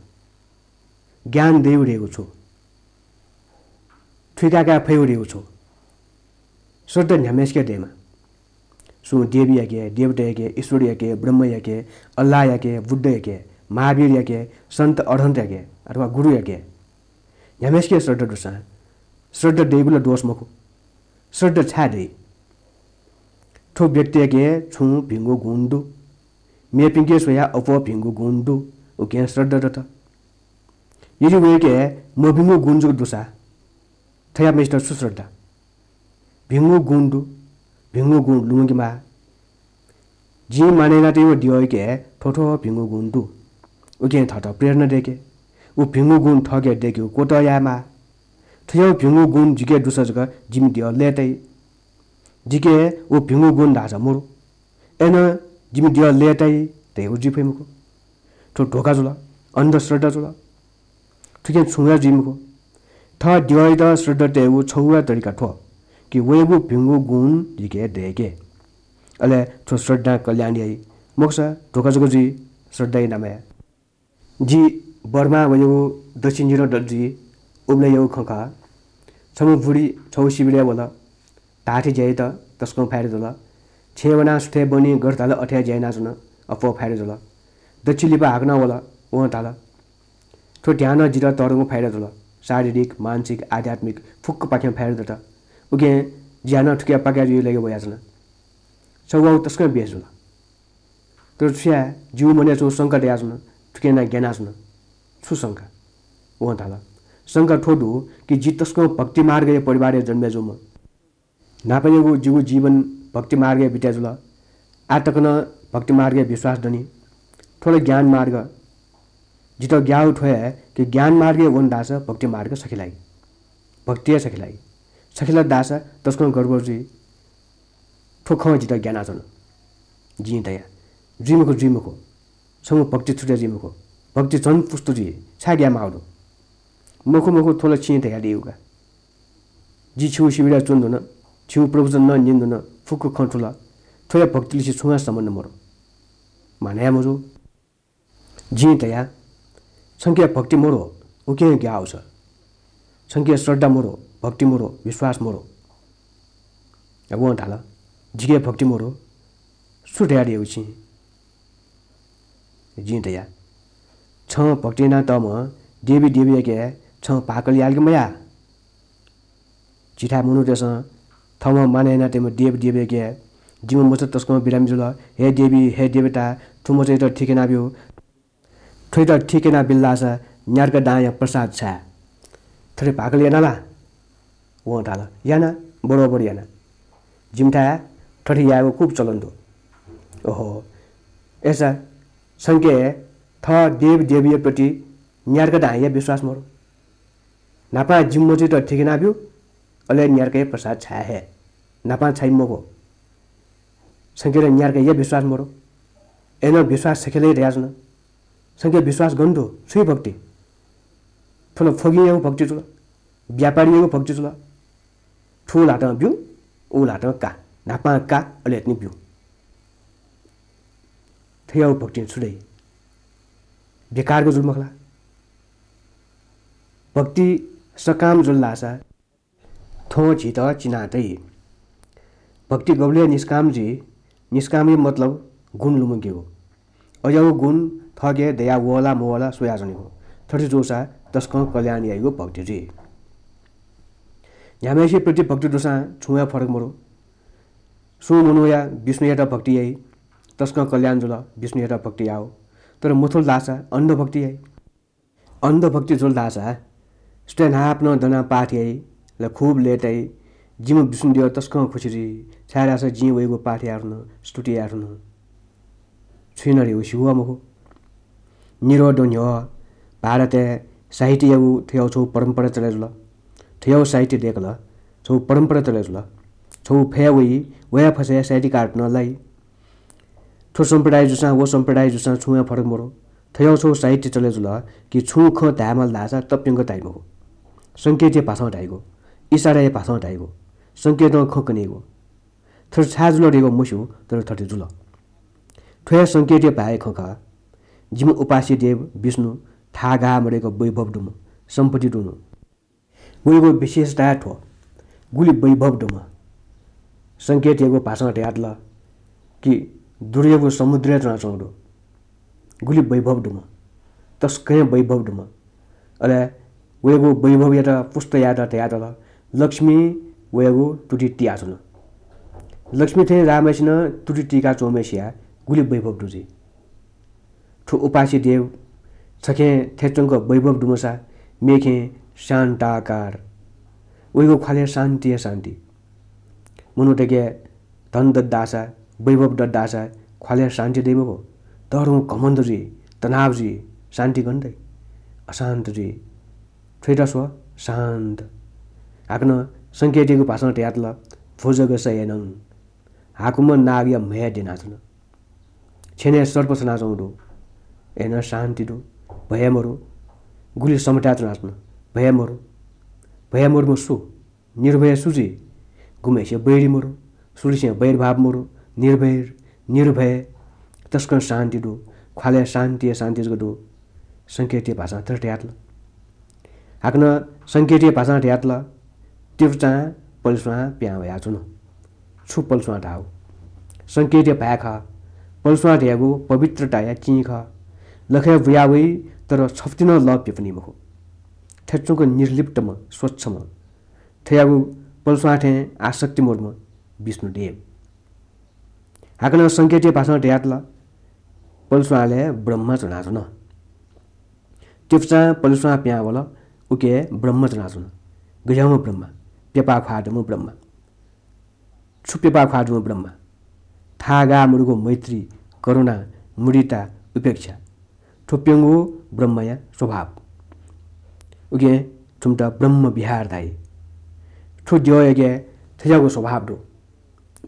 ज्ञान दइगु धइगु छु? थुइकाकाये फइगु धइगु छु? श्रद्धा न्ह्याम्हय्‌सिके दयेमाः। सुं देवीयाके, देवतायाके, ईश्वरयाके, ब्रह्मयाके, अल्लाहयाके, बुद्धयाके, महावीरयाके, सन्त अरहन्तयाके अथवा गुरुयाके न्ह्याम्हय्‌सिके श्रद्धा दुसां श्रद्धा दइगु ला दोष मखु। श्रद्धा छाय् दइ? थ्व व्यक्तियाके छुं भिंगु गुण दु, मेपिंके स्वयाः अप्वः भिंगु गुण दु, उकिं श्रद्धा दत। यदि वय्‌के मभिंगु गुण जक दुसा थज्याःम्हय्‌सित छु श्रद्धा? भिंगु गुण दु, भिंगु गुण लुमंकेमाः। जिं मानय् यानातःगु द्यःयाके थ्व थ्व भिंगु गुण दु। उकिं थःत प्रेरणा दय्‌के। व भिंगु गुण थःके दय्‌केगु क्वतः यायेमाः। थज्याःगु भिंगु गुण जिके दुसा जक जिमि द्यः लय्‌ताइ। जिके व भिंगु गुण धाःसा मरु। अय्‌नं जिमि द्यः लय्‌ताइ धयागु जुइ फइ मखु। थ्व धोखा जुल, अन्धश्रद्धा जुल। थुकिं छुं हे जुइ मखु। थः द्यःयात श्रद्धा तयेगु छगू हे तरिका थ्व कि वयागु भिंगु गुण जिके दय्‌के। अले थ्व श्रद्धां कल्याण याइ। मखुसा धोखा जक जुइ श्रद्धाया नामय्। जि बर्मा वयागु दच्छि निदँ दत जुइ, उबलय्‌यागु खँ खः। छम्ह बुढी छगू शिविरय् वल। धाःथें ज्या यात, तसकं फाइदा जुल। छेँय् वनाः सुथय् बनी गथे धाल अथे हे ज्या यानाच्वन, अप्वः फाइदा जुल। दच्छि लिपा हाकनं वल, वं धाल, थ्व ध्यानं जितः तःधंगु फाइदा जुल। शारीरिक, मानसिक, आध्यात्मिक फुक्कपाखें फाइदा दत। उकिं ज्या नं थुकिया पाकय् जुइ लगे वयाच्वन। छगू वा तसकं बेस जुल। तर छु याये, जिगु मनय् छगू शंका दयाच्वन, थुकिं यानाः ग्यानाच्वन। छु शंका? वं धाल, शंका थ्व दु कि जि तसकं भक्ति मार्गया परिवारय् जन्मे जूम्ह। न्हापायागु जिगु जीवन भक्ति मार्गय् बिते जुल। आः तक नं भक्ति मार्गय् विश्वास दनि। थ्व ला ज्ञान मार्ग। जितः ग्याःगु थ्व हे कि ज्ञान मार्गय् वन धाःसा भक्ति मार्ग सखी लाइ। भक्ति हे सखी लाइ। सखी लात धाःसा तसकं गडबड जुइ। थ्व खँ जितः ग्यानाच्वन। जिं धया, जुइ मखु, जुइ मखु। छंगु भक्ति छुटे जुइ मखु। भक्ति झन पुष्ट जुइ। छाय् ग्याये माःगु दु? मखु, मखु, थ्व ला छिं धयादीगु का। जि छिगु शिविरय् च्वनाच्वन, छिगु प्रवचन नं न्यनाच्वन, फुक्क खँ थुल। थ्व हे भक्तिलिसे छुं हे सम्बन्ध मदु। मानय् याये मजू। जिं धया, छंके भक्ति मदु, उकिं ग्याःगु छ। छंके श्रद्धा मदु, भक्ति मदु, विश्वास मदु। वं धाल, जिके भक्ति मदु, छु धयादीगु छिं? जिं धया, छं भक्ति यानातःम्ह देवी देवीयाके छं भाकल याय्‌ल कि मयाः? झीथाय् मनूतय्‌सं थःम्हं मानय् यानातःम्ह देव देवीयाके जिमि मचा तसकं बिरामी जुल। हे देवी, हे देवता, थ्व मचायात ठीक यानाब्यु। थ्वयात ठीक यानाबिल धाःसा न्यार्का दांया प्रसाद छाये। थथे भाकल याना ला? वं धाल, याना, बरोबर याना। जिमिथाय् थथे यायेगु खुब चलन दु। ओहो, अय्‌सा छंके थः देव देवीया प्रति न्यार्का दांया विश्वास मरु। न्हापां जिमि मचायात ठीक यानाब्यु, अले न्यार्काया प्रसाद छाये हे। न्हापां छाइ मखु। छंके ला न्यार्काया विश्वास मरु। अय्‌नं विश्वास छखेलय् धयाच्वन। छंके विश्वास गन दु? छु हे भक्ति? थ्व ला फगिंयागु भक्ति जुल, व्यापारीयागु भक्ति जुल। थ्व ल्हातं ब्यु, उ ल्हातं का, न्हापां का, अले तिनि ब्यु। थ्वयागु भक्तिं छु दइ? बेकारगु जुल मखु ला? भक्ति सकाम जुल धाःसा थ्वं झीत चिना तइ। भक्ति गबलय् निष्काम जुइ, निष्कामया मतलब गुण लुमंकेगु। अज्याःगु गुण थःके दया वः ला मवः ला स्वयाच्वनेगु। थथे जूसा तसकं कल्याण याइगु भक्ति जुइ। न्ह्याम्हय्‌सिया प्रति भक्ति दुसां छुं हे फरक मरु। सुं मनूया विष्णुयात भक्ति याइ, तसकं कल्याण जुल विष्णुयात भक्ति याउ। तर मथुल धाःसा अन्धभक्ति याइ। अन्धभक्ति जुल धाःसा सुथय् न्हापां दनाः पाठ याइ, ला खुब लय्ताइ, जिमि विष्णुदेव तसकं खुसी जुइ, छाय्‌धाःसा जिं वयागु पाठ याये धुन, स्तुति याये धुन। छुं नं रे व सिगु वा मखु। निरोध न्ह्यः भारतय् साहित्ययागु थ्वयागु छगू परम्परा चले जुल। थ्वयागु साहित्य दय्‌कल, छगू परम्परा चले जुल। छगू फय् वइ, वया फसय् साहित्यकारत नं लाइ। थ्व सम्प्रदाय जूसां व सम्प्रदाय जूसां छुं हे फरक मरु। थ्वयागु छगू साहित्य चले जुल कि छुं खँ धायेमाल धाःसा तप्यंक धाइ मखु। संकेतया भाषां धाइगु, इसाराया भाषां धाइगु, संकेतं खँ कनीगु। थथे छाय् जुल धइगु मस्यू, तर थथे जुल। थ्व हे संकेतया भाय्‌या खँ खः। जिमि उपास्य देव विष्णु थाहां गाः मदय्‌क वैभव दुम्ह, सम्पत्ति दुम्ह। वयागु विशेषता हे थ्व, गुलि वैभव दुम्ह। संकेतयागु भाषां धयातल कि दुधयागु समुद्रय् च्वनाच्वंगु दु। गुलि वैभव दुम्ह, तसकं हे वैभव दुम्ह। अले वयागु वैभवयात पुष्ट यायेत धयातल, लक्ष्मी वयागु तुति तियाच्वन। लक्ष्मी थें जाःम्हय्‌सिनं तुति तीका च्वंम्हय्‌सिया गुलि वैभव दु जुइ। थ्व उपास्य देव छखें थथे च्वंक वैभव दुम्हसा मेखें शान्ताकार। वयागु ख्वालय् शान्ति हे शान्ति। मनूतय्‌के धन दत धाःसा, वैभव दत धाःसा ख्वालय् शान्ति दइ मखु। तःधंगु घमण्ड जुइ, तनाव जुइ, शान्ति गन दइ? अशान्त जुइ। थ्वयात स्व, शान्त। हाकनं संकेतयागु भाषां धयातल, भुजगशयनं। हाकुम्ह नागया म्हय् द्यनाच्वन। छ्यनय् सर्प सनाच्वंगु दु। अय्‌नं शान्ति दु। भय मरु। गुलि समताय् च्वनाच्वन। भय मरु। भय मरुम्ह सु? निर्भय सु जुइ? गुम्हय्‌सिया वैरी मरु। सुलिसें वैरभाव मरु। निर्भय, निर्भय। तसकं शान्ति दु। ख्वालय् शान्ति हे शान्ति जक दु। संकेतया भाषां थथे धयातल। हाकनं संकेतया भाषां धयातल, तिप्चां पलेस्वां पिहां वयाच्वन। छु पलेस्वां धाःगु? संकेतया भाय् खः। पलेस्वां धयागु पवित्रताया चिं खः। लखय् बुया वइ, तर छफुति नं लः प्यपुनी मखु। थथे च्वंक निर्लिप्तम्ह, स्वच्छम्ह। थ्वयागु पलेस्वां थें आसक्ति मदुम्ह विष्णुदेव। हाकनं संकेतया भाषां धयातल, पलेस्वांलय् ब्रह्मा च्वनाच्वन। तिप्चां पलेस्वां पिहां वल, उकी ब्रह्मा च्वनाच्वन। गज्याःम्ह ब्रह्मा? प्यपा ख्वाः दुम्ह ब्रह्मा। छु प्यपा ख्वाः दुम्ह ब्रह्मा? थाहां गाः मदुगु मैत्री, करुणा, मुदिता, उपेक्षा। थ्व प्यंगू ब्रह्माया स्वभाव। उकिं थुमित ब्रह्म विहार धाइ। थ्व द्यःयाके थज्याःगु स्वभाव दु।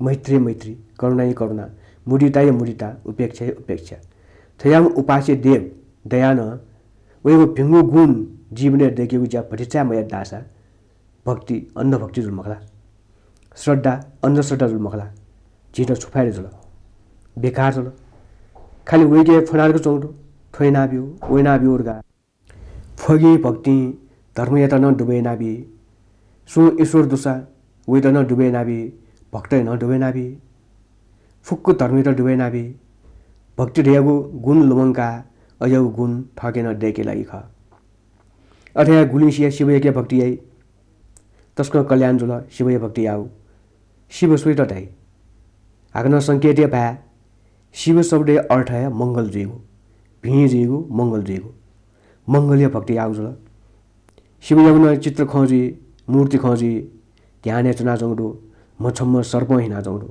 मैत्रीया मैत्री, करुणाया करुणा, मुदिताया मुदिता, उपेक्षाया उपेक्षा। थज्याःम्ह उपास्य देव दयानं वयागु भिंगु गुण जीवनय् दय्केगु ज्या भतिचा मयात धाःसा भक्ति, अन्धभक्ति जुल मखु ला? श्रद्धा, अन्धश्रद्धा जुल मखु ला? झीत छु फाइदा जुल? बेकार जुल। खालि वय्के फ्वनातक च्वंगु दु, थ्व यानाब्यु, व यानाब्यु धकाः। फगिं भक्तिं धर्मयात नं दुबय् यानाबी। सुं ईश्वर दुसा वयात नं दुबय् यानाबी, भक्तयात नं दुबय् यानाबी। फुक्क धर्मयात दुबय् यानाबी। भक्ति धयागु गुण लुमंकाः अज्याःगु गुण थःके नं दय्के लागि खः। अथे हे गुलिंसिया शिवयाके भक्ति याइ। तसकं कल्याण जुल शिवया भक्ति याउ। शिव स्वयात धाइ? हाकनं संकेत हे भाय्। शिव शब्दया अर्थ हे मंगल जुइगु, भिं जुइगु, मंगल जुइगु। मंगलया भक्ति याःगु जुल। शिवयागु नं चित्र खं जुइ, मूर्ति खं जुइ, ध्यानय् च्वनाच्वंगु दु। म्हछम्ह सर्पं हिनाच्वंगु दु,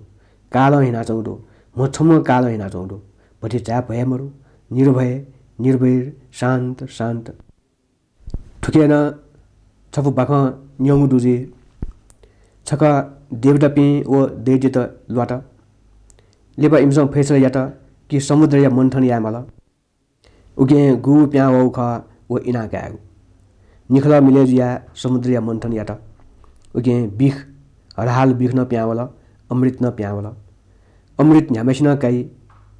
कालं हिनाच्वंगु दु, म्हछम्ह कालं हिनाच्वंगु दु। भतिचा भय मरु, निर्भय, निर्वैर, शान्त, शान्त। थुके नं छपु बाखं न्यंगु दु जुइ। छकः देवतापिं व दैत्यत ल्वात। लिपा इमिसं फैसला यात कि समुद्रया मन्थन यायेमाल। उकिं गु प्यां वःगु खः व इना कायेगु। निखलः मिलय् जुयाः समुद्रया मन्थन यात। उकिं बिख, हलाहल बिख नं प्यां वल, अमृत नं प्यां वल। अमृत न्ह्याम्हसिनं काइ,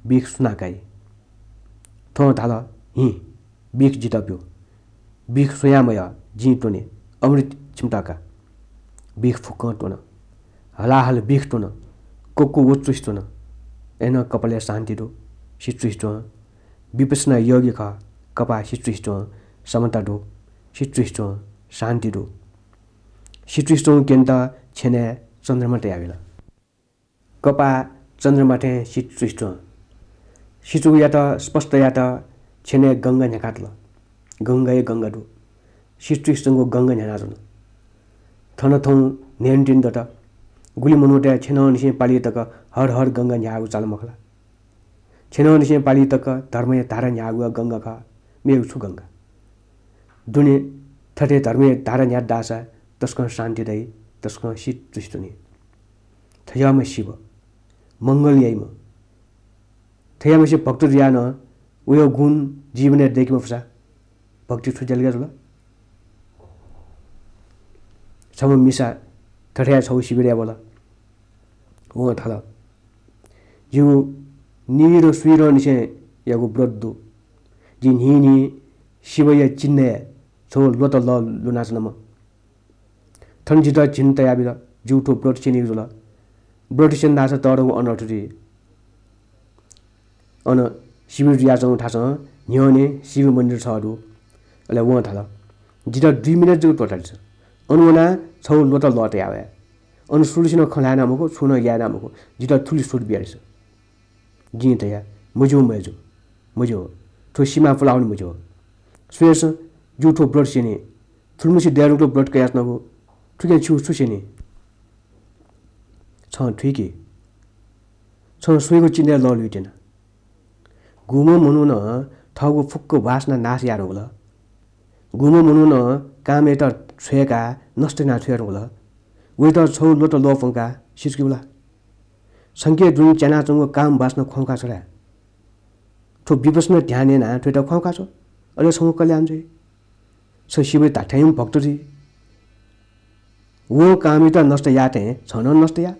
बिख सुनां काइ? थ्वं धाल, "हिँ, बिख जितः ब्यु। बिख स्वयां मयः, जिं त्वने। अमृत छिमित का।" बिख फुक्कं त्वन। हलाहल बिख त्वन। कक्व व चुसि च्वन। अय्‌नं कपालय् शान्ति दु। सि चुसि च्वं। विपश्यना योगी खः। कपाः सि चुसि च्वं। समता दु। सि चुसि च्वं। शान्ति दु। सि चुसि च्वंगु क्यनेत छ्यनय् चन्द्रमा तयाबिल। कपाः चन्द्रमा थें सि चुसि च्वं। सि चुगुयात स्पष्ट यायेत छ्यनय् गंगा न्ह्याकातल। गंगा हे गंगा दु। सि चुसि च्वंगु गंगा न्ह्यानाच्वन। थन थौं न्हय्‌न्हय्‌न्हय् दत। गुलि मनूतय् छ्यनंनिसें पालि तक हर हर गंगा न्ह्याःगु चाल मखु ला? छ्यनंनिसें पालि तक धर्मया धारा न्ह्याःगु गंगा खः, मेगु छु गंगा? दुने थथे धर्मया धारा न्ह्यात धाःसा तसकं शान्ति दइ, तसकं सि चुसि च्वनी। थज्याःम्ह शिव, मंगल याइम्ह, थज्याःम्हसे भक्त जुयाः नं वया गुण जीवनय् दय्‌के मफुसा भक्ति छु ज्यालगय् जुल? छम्ह मिसा थथे छगू शिविरय् वल। वं धाल, "जिगु नीदँ स्वीदँनिसेंयागु व्रत दु। जिं न्हिं न्हिं शिवया चिन्हय् छगू ल्वत लः लुनाच्वनाम्ह। थन जितः झिन तयाबिल, जिगु थ्व व्रत स्यनीगु जुल। व्रत स्यन धाःसा तःधंगु अनर्थ जुइ।" अन शिविर जुयाच्वंगु थासं न्ह्यःने शिव मन्दिर छगू दु। अले वं धाल, "जितः दुई मिनेट जक त्वःतादिसँ। अन वनाः छगू ल्वत लः तया वये। अन सुलिसिनं खँ ल्हाये याना मखु, छुं नं याये याना मखु। जितः थुलि सुर बियादिसँ।" जिं धया, "मज्यू मय्‌जु, मज्यू। थ्व सिमा पुलावनी मज्यू। स्वयादिसँ, जिगु थ्व व्रत स्यनी। थुलिमछि दये धुंकल व्रत कयाच्वनागु, थुकिं छिगु छु स्यनी?" छं थुइके। छं स्वयागु चिन्हय् लः लुइत्यना। गुम्ह मनुखं थःगु फुक्क वासना नाश याये धुंकल। गुम्ह मनुखं कामयात छ्वय्‌काः नष्ट याना छ्वये धुंकल। वयात छगू ल्वत लः प्वंकाः सिचुकेगु ला? छंके दुने च्यानाच्वंगु काम वासना ख्वाउँका छ्व ला? थ्व विपश्यना ध्यान यानाः थ्वयात ख्वाउँका छ्व, अले छंगु कल्याण जुइ। छ शिवया धात्थें भक्त जुइ। वं कामयात नष्ट याःथें छं नं नष्ट या,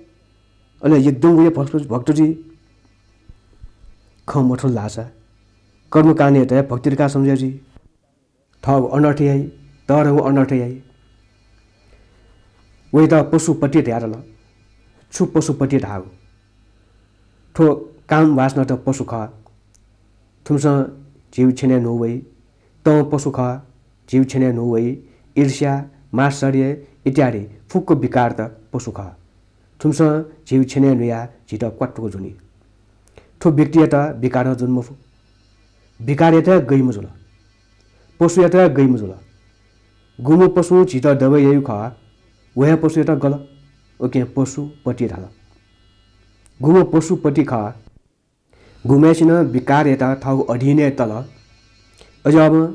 अले एकदम वया भक्त, भक्त जुइ। खँ मथुल धाःसा कर्मकाण्डयात हे भक्ति धकाः सम्झे जुइ। थःगु अनर्थ याइ, तःधंगु अनर्थ याइ। वयात पशुपति धयातल। छु पशुपति धाःगु? थ्व काम वासनात पशु खः। थुमिसं झीगु छ्यनय् न्हू वइ। तं पशु खः, झीगु छ्यनय् न्हू वइ। ईर्ष्या, मात्सर्य इत्यादि फुक्क विकारत पशु खः। थुमिसं झीगु छ्यनय् न्हुयाः झीत क्वात्तुक ज्वनी। थ्व व्यक्तियात विकारं ज्वने मफु। विकारयात हे गइम्ह जुल। पशुयात हे गइम्ह जुल। गुम्ह पशुं झीत दबय् याइगु खः, व हे पशुयात गल। उकिं पशुपति धाल। गुम्ह पशुपति खः। गुम्हय्‌सिनं विकारयात थःगु अधीनय् तल, अज्याःम्ह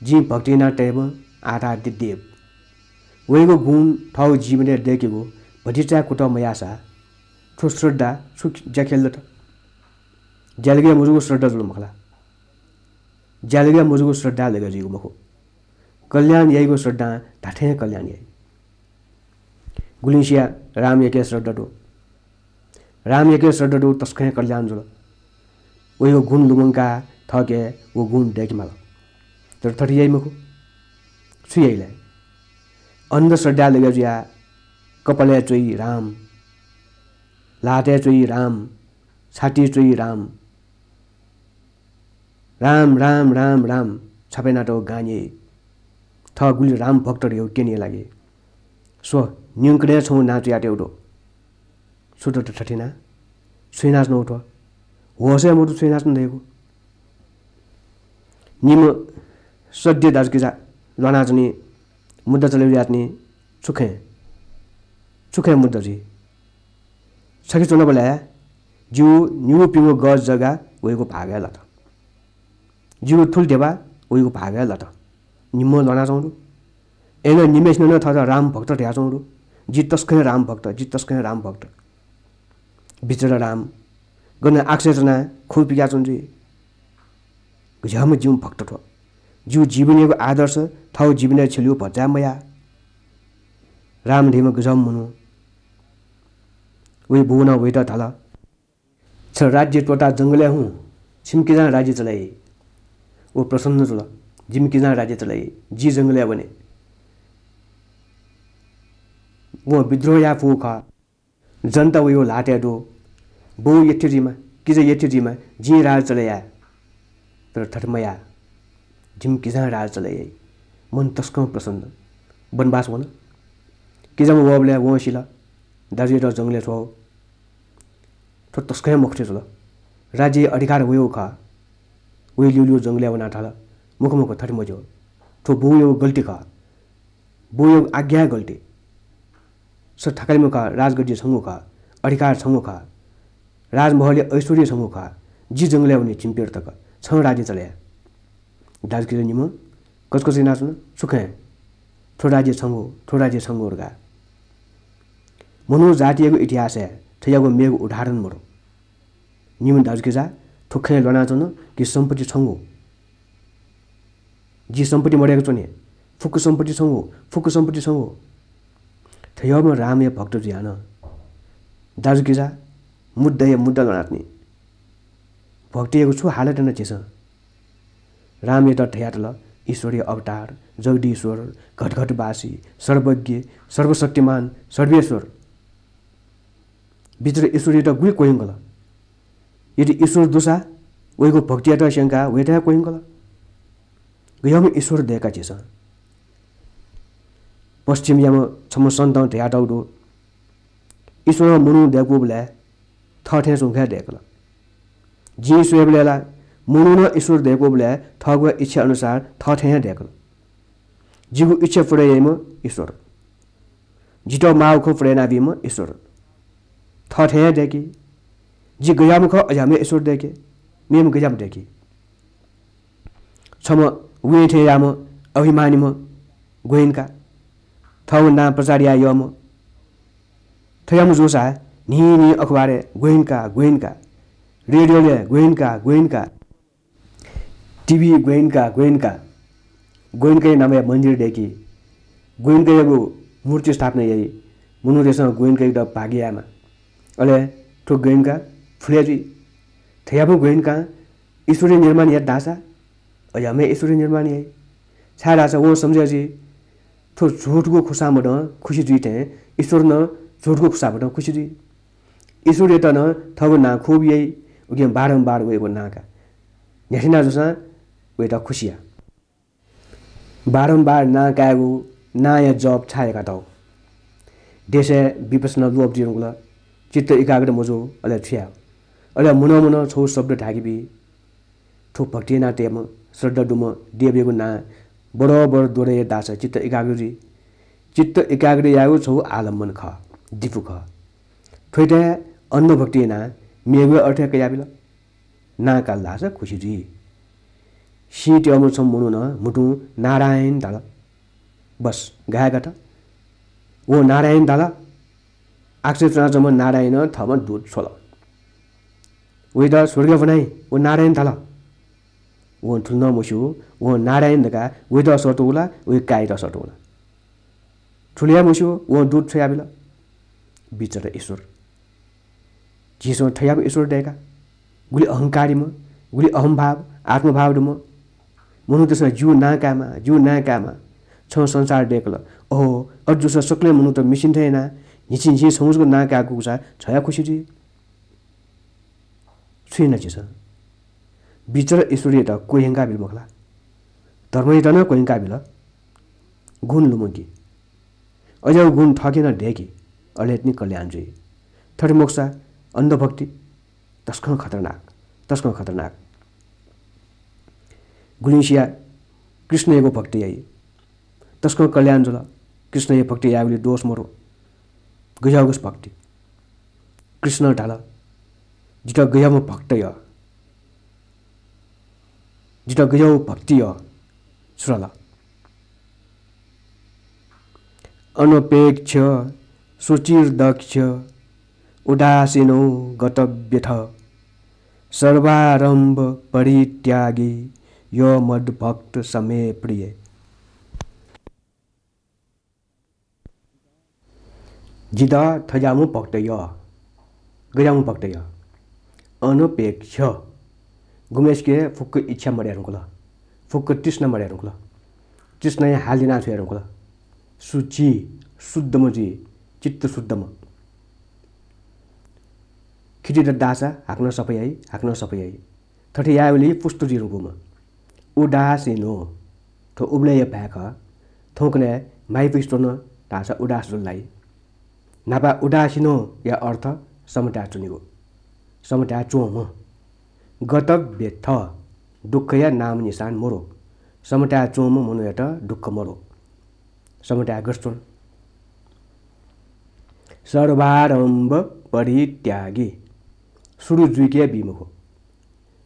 जिं भक्ति याना तयेम्ह आराध्य देव। वयागु गुण थःगु जीवनय् दय्‌केगु भतिचाय् कुतः मयाःसा थ्व श्रद्धा छु ज्याखँय् लत? ज्यालगय् मजूगु श्रद्धा जुल मखु ला? ज्यालगय् मजूगु श्रद्धा लगे जुइगु मखु। कल्याण याइगु श्रद्धां धात्थें कल्याण याइ। गुलिंसिया रामयाके श्रद्धा दु। रामयाके श्रद्धा दु, तसकं हे कल्याण जुल। वयागु गुण लुमंकाः थःके व गुण दय्‌के माल। तर थथे याइ मखु। छु याइ लय्? अन्धश्रद्धाय् लगे जुयाः कपालय् च्वइ राम, ल्हातय् च्वइ राम, छातिइ च्वइ राम। राम, राम, राम, राम, छापय् यानातःगु गान याइ। थः गुलि राम भक्त धयागु क्यने लागि। स्व, न्यंकनं छंगु नां च्वयातःगु दु। छु दत थथे याना? छु यानाच्वनागु थ्व? होश हे मदु छु यानाच्वन धयागु। निम्ह सद्य दाजुकिजा ल्वानाच्वनी, मुद्दा चले जुयाच्वनी, छु खँय्? छु खँय् मुद्दा जुइ? छखे च्वनाबलय् जिगु निगू प्यंगू गज जग्गा वइगु भागय् लात। जिगु थुलि ध्यबा वइगु भागय् लात। निम्हं ल्वानाच्वंगु दु। अय्नं निम्हय्सिनं नं थःत राम भक्त धयाच्वंगु दु। जि तसकं हे राम भक्त, जि तसकं हे राम भक्त। बिचरा राम, गन आकाशय् च्वनाः खँ पिकाच्वंगु जुइ। गज्याःम्ह जिम्ह भक्त थ्व। जिगु जीवनयागु आदर्श थःगु जीवनय् छ्यलेगु भचा मयाः। राम धइम्ह गज्याःम्ह मनू। वया बौनं वयात धाल, छ राज्य त्वःताः जंगलय् हुँ, छिमि किजां राज्य चले याइ। व प्रसन्न जुल, जिमि किजां राज्य चले याइ, जि जंगलय् वने। वं विद्रोह याये फुगु खः। जनता वयागु ल्हातय् दु। बौ यथे जुइमा, किजा यथे जुइमा, जिं राज चले याये। तर थथे मयाः, जिमि किजां राज चले याइ। मन तसकं प्रसन्न। वनवास वन। किजाम्ह वःबलय् वं सिल, दाजुयात जंगलय् छ्वः। थ्व तसकं हे मखुथें जुल। राज्य अधिकार वयागु खः। वया ल्यूल्यू जंगलय् वनाः धाल, मखु मखु, थथे मज्यू। थ्व बौयागु गल्ती खः। बौयागु आज्ञा गल्ती। छ थकालिम्ह खः, राजगद्दी छंगु खः, अधिकार छंगु खः, राजमहलया ऐश्वर्य छंगु खः। जि जंगलय् वने झिंप्यदँ तक, छं राज्य चले या। दाजुकिजा निम्हं कचकच यानाच्वन, छु खँय्? थ्व राज्य छंगु, थ्व राज्य छंगु धकाः। मनू जातियागु इतिहासय् थज्याःगु मेगु उदाहरण मदु। निम्ह दाजुकिजा थ्व खँय् ल्वानाच्वन कि सम्पत्ति छंगु। जि सम्पत्ति मदय्क च्वने, फुक्क सम्पत्ति छंगु, फुक्क सम्पत्ति छंगु। थज्याःम्ह रामया भक्त जुयाः नं दाजुकिजा मुद्दाया मुद्दा ल्वानाच्वनी। भक्तियागु छु हालत याना झीसं? रामयात धयातल, ईश्वरया अवतार, जगदीश्वर, घटघटवासी, सर्वज्ञ, सर्वशक्तिमान, सर्वेश्वर। बिचरा ईश्वरयात गुलि क्वह्यंकल? यदि ईश्वर दुसा वयागु भक्तियात स्यंकाः वयात हे क्वह्यंकल। गज्याःम्ह ईश्वर दय्का झीसं? पश्चिमयाम्ह छम्ह सन्तं धयातःगु दु, ईश्वरं मनू दय्कूबलय् थःथें च्वंक हे दय्कल। जिं स्वयेबलय् ला मनुखं ईश्वर दय्कूबलय् थःगु इच्छा अनुसार थःथें हे दय्कल। जिगु इच्छा पूरा याइम्ह ईश्वर, जितः माःगु खँ पूरा यानाबीम्ह ईश्वर। थःथें हे दय्की। जि गज्याःम्ह खः, अज्याःम्ह ईश्वर दय्के, मेम्ह गज्याःम्ह दय्की। छम्ह वें थें याःम्ह अभिमानीम्ह ग्वय्का, थःगु नां प्रचार याये यःम्ह, थज्याःम्ह जूसा न्हिं न्हिं अखबारय् ग्वय्का, ग्वय्का, रेडियोलय् ग्वय्का, ग्वय्का, टिभी ग्वय्का, ग्वय्का, ग्वय्काया नामय् मन्दिर दय्की, ग्वय्कायागु मूर्ति स्थापना याइ, मनूतय्सं ग्वय्कायात भाग्य यायेमा। अले थ्व ग्वय्का फुले जुइ। थज्याःम्ह ग्वय्कां ईश्वरया निर्माण यात धाःसा अज्याःम्ह ईश्वरया निर्माण याइ। छाय्धाःसा वं सम्झे जुइ, थ्व झुठगु खुसामदं खुसी जुइ थें ईश्वर नं झुठगु खुसामदं खुसी जुइ। ईश्वरयात नं थःगु नां खुब याइ, उकिं बारम्बार वयागु नां का। न्ह्याथे याना जूसां वयात खुसी या। बारम्बार नां कायेगु, नांया जप छाय् याकातःगु? देशय् विपश्यना ल्वःपति धुंकल, चित्त एकाग्र मजू, अले छु याये? अले मनंमनं छगू शब्द धाय्के बी। थ्व भक्ति यानातःम्ह, श्रद्धा दुम्ह देवयागु नां बडबड द्वरय् धाःसा चित्त एकाग्र जुइ। चित्त एकाग्र यायेगु छगू आलम्बन खः, दिपु खः। थ्वयात हे अन्धभक्ति यानाः मेगु अर्थ हे कयाबिल। नां काल धाःसा खुसी जुइ। सीत्याःम्ह छम्ह मनुखं म्हुतुं नारायण धाल। बस, गाय् गात। वं नारायण धाल। आकाशय् च्वनाच्वंम्ह नारायणं थःम्ह दूत छ्वल। वयात स्वर्गय् ब्वनाइ, व नारायण धाल। वं थुलि नं मस्यू, वं नारायण धकाः वयात सःतूगु ला, वया काय्‌यात सःतूगु ला। थुलि हे मस्यू, वं दूत छ्वयाबिल। बिचरा ईश्वर। झीसं थज्याःम्ह ईश्वर दय्का। गुलि अहंकारीम्ह, गुलि अहंभाव, आत्मभाव दुम्ह। मनूतय्सं जिगु नां कायेमा, जिगु नां कायेमा। छं संसार दय्कल। अहो, अथे जूसा सकलें मनूत मिसिं थें यानाः झिंछिं झिं छंगु जक नां कायेगु जूसा छ हे खुसी जुइ। छु याना झीसं? बिचरा ईश्वरयात क्वह्यंकाबिल मखु ला? धर्मयात नं क्वह्यंकाबिल। गुण लुमंकी। अज्याःगु गुण थःके नं दय्की, अले तिनि कल्याण जुइ। थथे मखुसा, अन्धभक्ति तसकं खतरनाक, तसकं खतरनाक। गुलिसिया कृष्णयागु भक्ति याइ, तसकं कल्याण जुल। कृष्णया भक्ति यायेगुली दोष मरु। गज्याःगु भक्ति। कृष्णं धाल, "जितः गज्याःम्ह भक्त यः, जितः गज्याःगु भक्ति यः।" छु धाल? "अनपेक्ष सुचिर्दक्ष उदासीनो गतव्यथ सर्वारम्भ परित्यागी यो मद्भक्त समे प्रिये।" जितः थज्याःम्ह भक्त यः, गज्याःम्ह भक्त यः। अनपेक्ष, गुम्हेसिके फुक्क इच्छा मदये धुंकल, फुक्क तृष्णा मदये धुंकल, तृष्णाया हाल याना छ्वये धुंकल। सुचि, शुद्धम्ह जुइ, चित्त शुद्धम्ह। खिति दत धाःसा हाकनं सफा याइ, हाकनं सफा याइ। थथे यायेबलय् पुष्ट जुइ धुंकूम्ह। उदासीनो, थ्व उबलय्‌या भाय् खः। थौंकन्हय् माइपुसे च्वन धाःसा उदास जुल धाइ। न्हापा उदासीनोया अर्थ समताय् च्वनीगु, समताय् च्वंम्ह। गतव्यथ, दुःखया नामनिशान मरु। समताय् च्वंम्ह मनूयात दुःख मरु। समताय् गथे च्वन? सर्वारम्भ परित्यागी, सुरु जुइके बी मखु।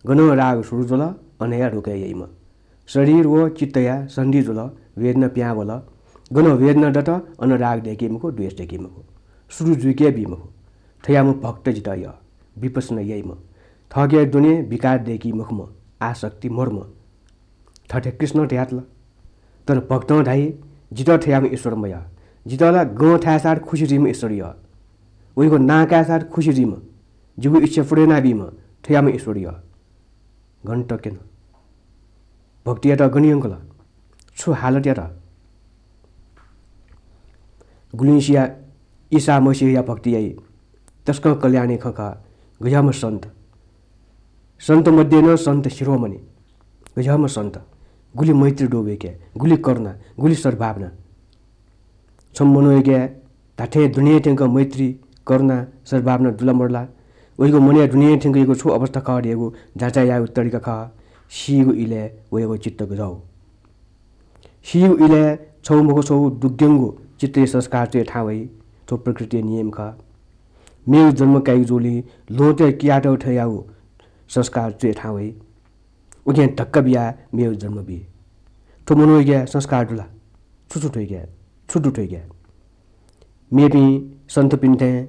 गनं राग सुरु जुल, अन हे रोके याइम्ह। शरीर व चित्तया सन्धि जुल, वेदना पिहां वल। गनं वेदना दत, अन राग दय्‌की मखु, द्वेष दय्‌की मखु। सुरु जुइके बी मखु। थज्याःम्ह भक्त जितः यः, विपश्यना याइम्ह, थःके दुने विकार दय्‌की मखुम्ह, आसक्ति मरुम्ह। थथे कृष्णं धयातल। तर भक्तं धाइ, "जितः थज्याःम्ह ईश्वर मयः, जितः ला गं थाय्‌साथ खुसि जुइम्ह ईश्वर यः, वइगु नां काय्‌साथ खुसि जुइम्ह, जिगु इच्छा पूर्ण यानाबीम्ह थज्याःम्ह ईश्वर यः।" गन तक्यन। भक्तियात गन यंकल, छु हालत यात? गुलिसिया ईसा मसीहया भक्ति याइ, तसकं कल्याणया खँ खः। गज्याःम्ह सन्त, सन्त मध्ये नं सन्त शिरोमणि। गज्याःम्ह सन्त, गुलि मैत्री दु वय्‌के, गुलि करुणा, गुलि सद्भावना। छम्ह मनूयाके धात्थें दुने थ्यंक मैत्री, करुणा, सद्भावना दु ला मदु ला? वयागु मनय् दुने थ्यंकयागु छु अवस्था खः धयागु जाँचय् यायेगु तरिका खः। सीगु इलय् वयागु चित्त गज्याःगु। सीगु इलय् छगू मखु छगू दुग्यंगु चित्तया संस्कार च्वय् थाहां वइ। थ्व प्रकृतिया नियम खः। मेगु जन्म काइगु जूलिं ल्वहँतय् कियातःगु थें याःगु संस्कार च्वय् थाहां वइ। उकिं धक्का बियाः मेगु जन्म बी। थ्व मनूयाके संस्कार दु ला? छु छु थुइके? छु दु थुइके? मेपिं सन्तपिं थें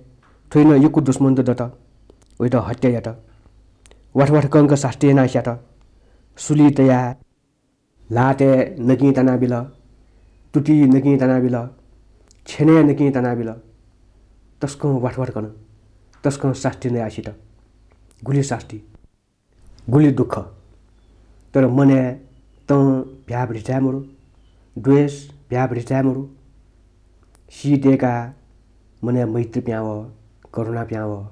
थ्व नं यक्व दुश्मनत दत, वयात हत्या यात, वाथ वाथ कंक सास्ती यानाः स्यात, सुलि तयाः ल्हातय् नकिं तानाबिल, तुतिइ नकिं तानाबिल, छ्यनय् नकिं तानाबिल। तसकं वाथ वाथ कन, तसकं सास्ती नयाः सित। गुलि सास्ती, गुलि दुःख। तर मनय् तं भ्याभ्रिचाय् मरु, द्वेष भ्याभ्रिचाय् मरु। सी दय्‌काः मनय् मैत्री पिहां वः, करुणा पिहां वः,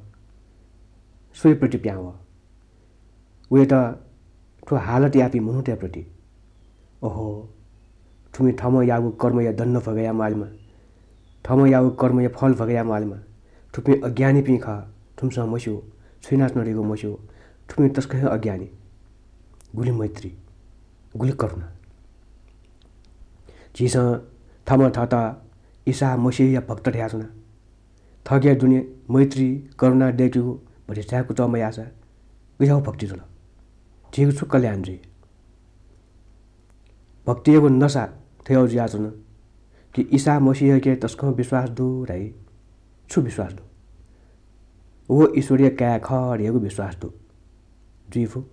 स्वयाप्रति पिहां वः। वयात थ्व हालत याःपिं मनूतय्‌प्रति, ओहो, थुमि थःम्हं याःगु कर्मया दण्ड भोगया म्वालेमा, थःम्हं याःगु कर्मया फल भोगया म्वालेमा। थुपिं अज्ञानीपिं खः, थुमिसं मस्यू, छु यानाच्वनादीगु मस्यू। थुपिं तसकं हे अज्ञानी। गुलि मैत्री, गुलि करुणा। झीसं थःम्हं थःत ईसा मसीहया भक्त धयाच्वना। थःके दुने मैत्री, करुणा दय्‌केगु भतिचाय् कुतः मयाःसा गज्याःगु भक्ति जुल? झीगु छु कल्याण जुइ? भक्तियागु नसा थज्याःगु जुयाच्वन कि ईसा मसीहयाके तसकं विश्वास दु धाइ। छु विश्वास दु? व ईश्वरया काय् खः धयागु विश्वास दु। जुइ फु।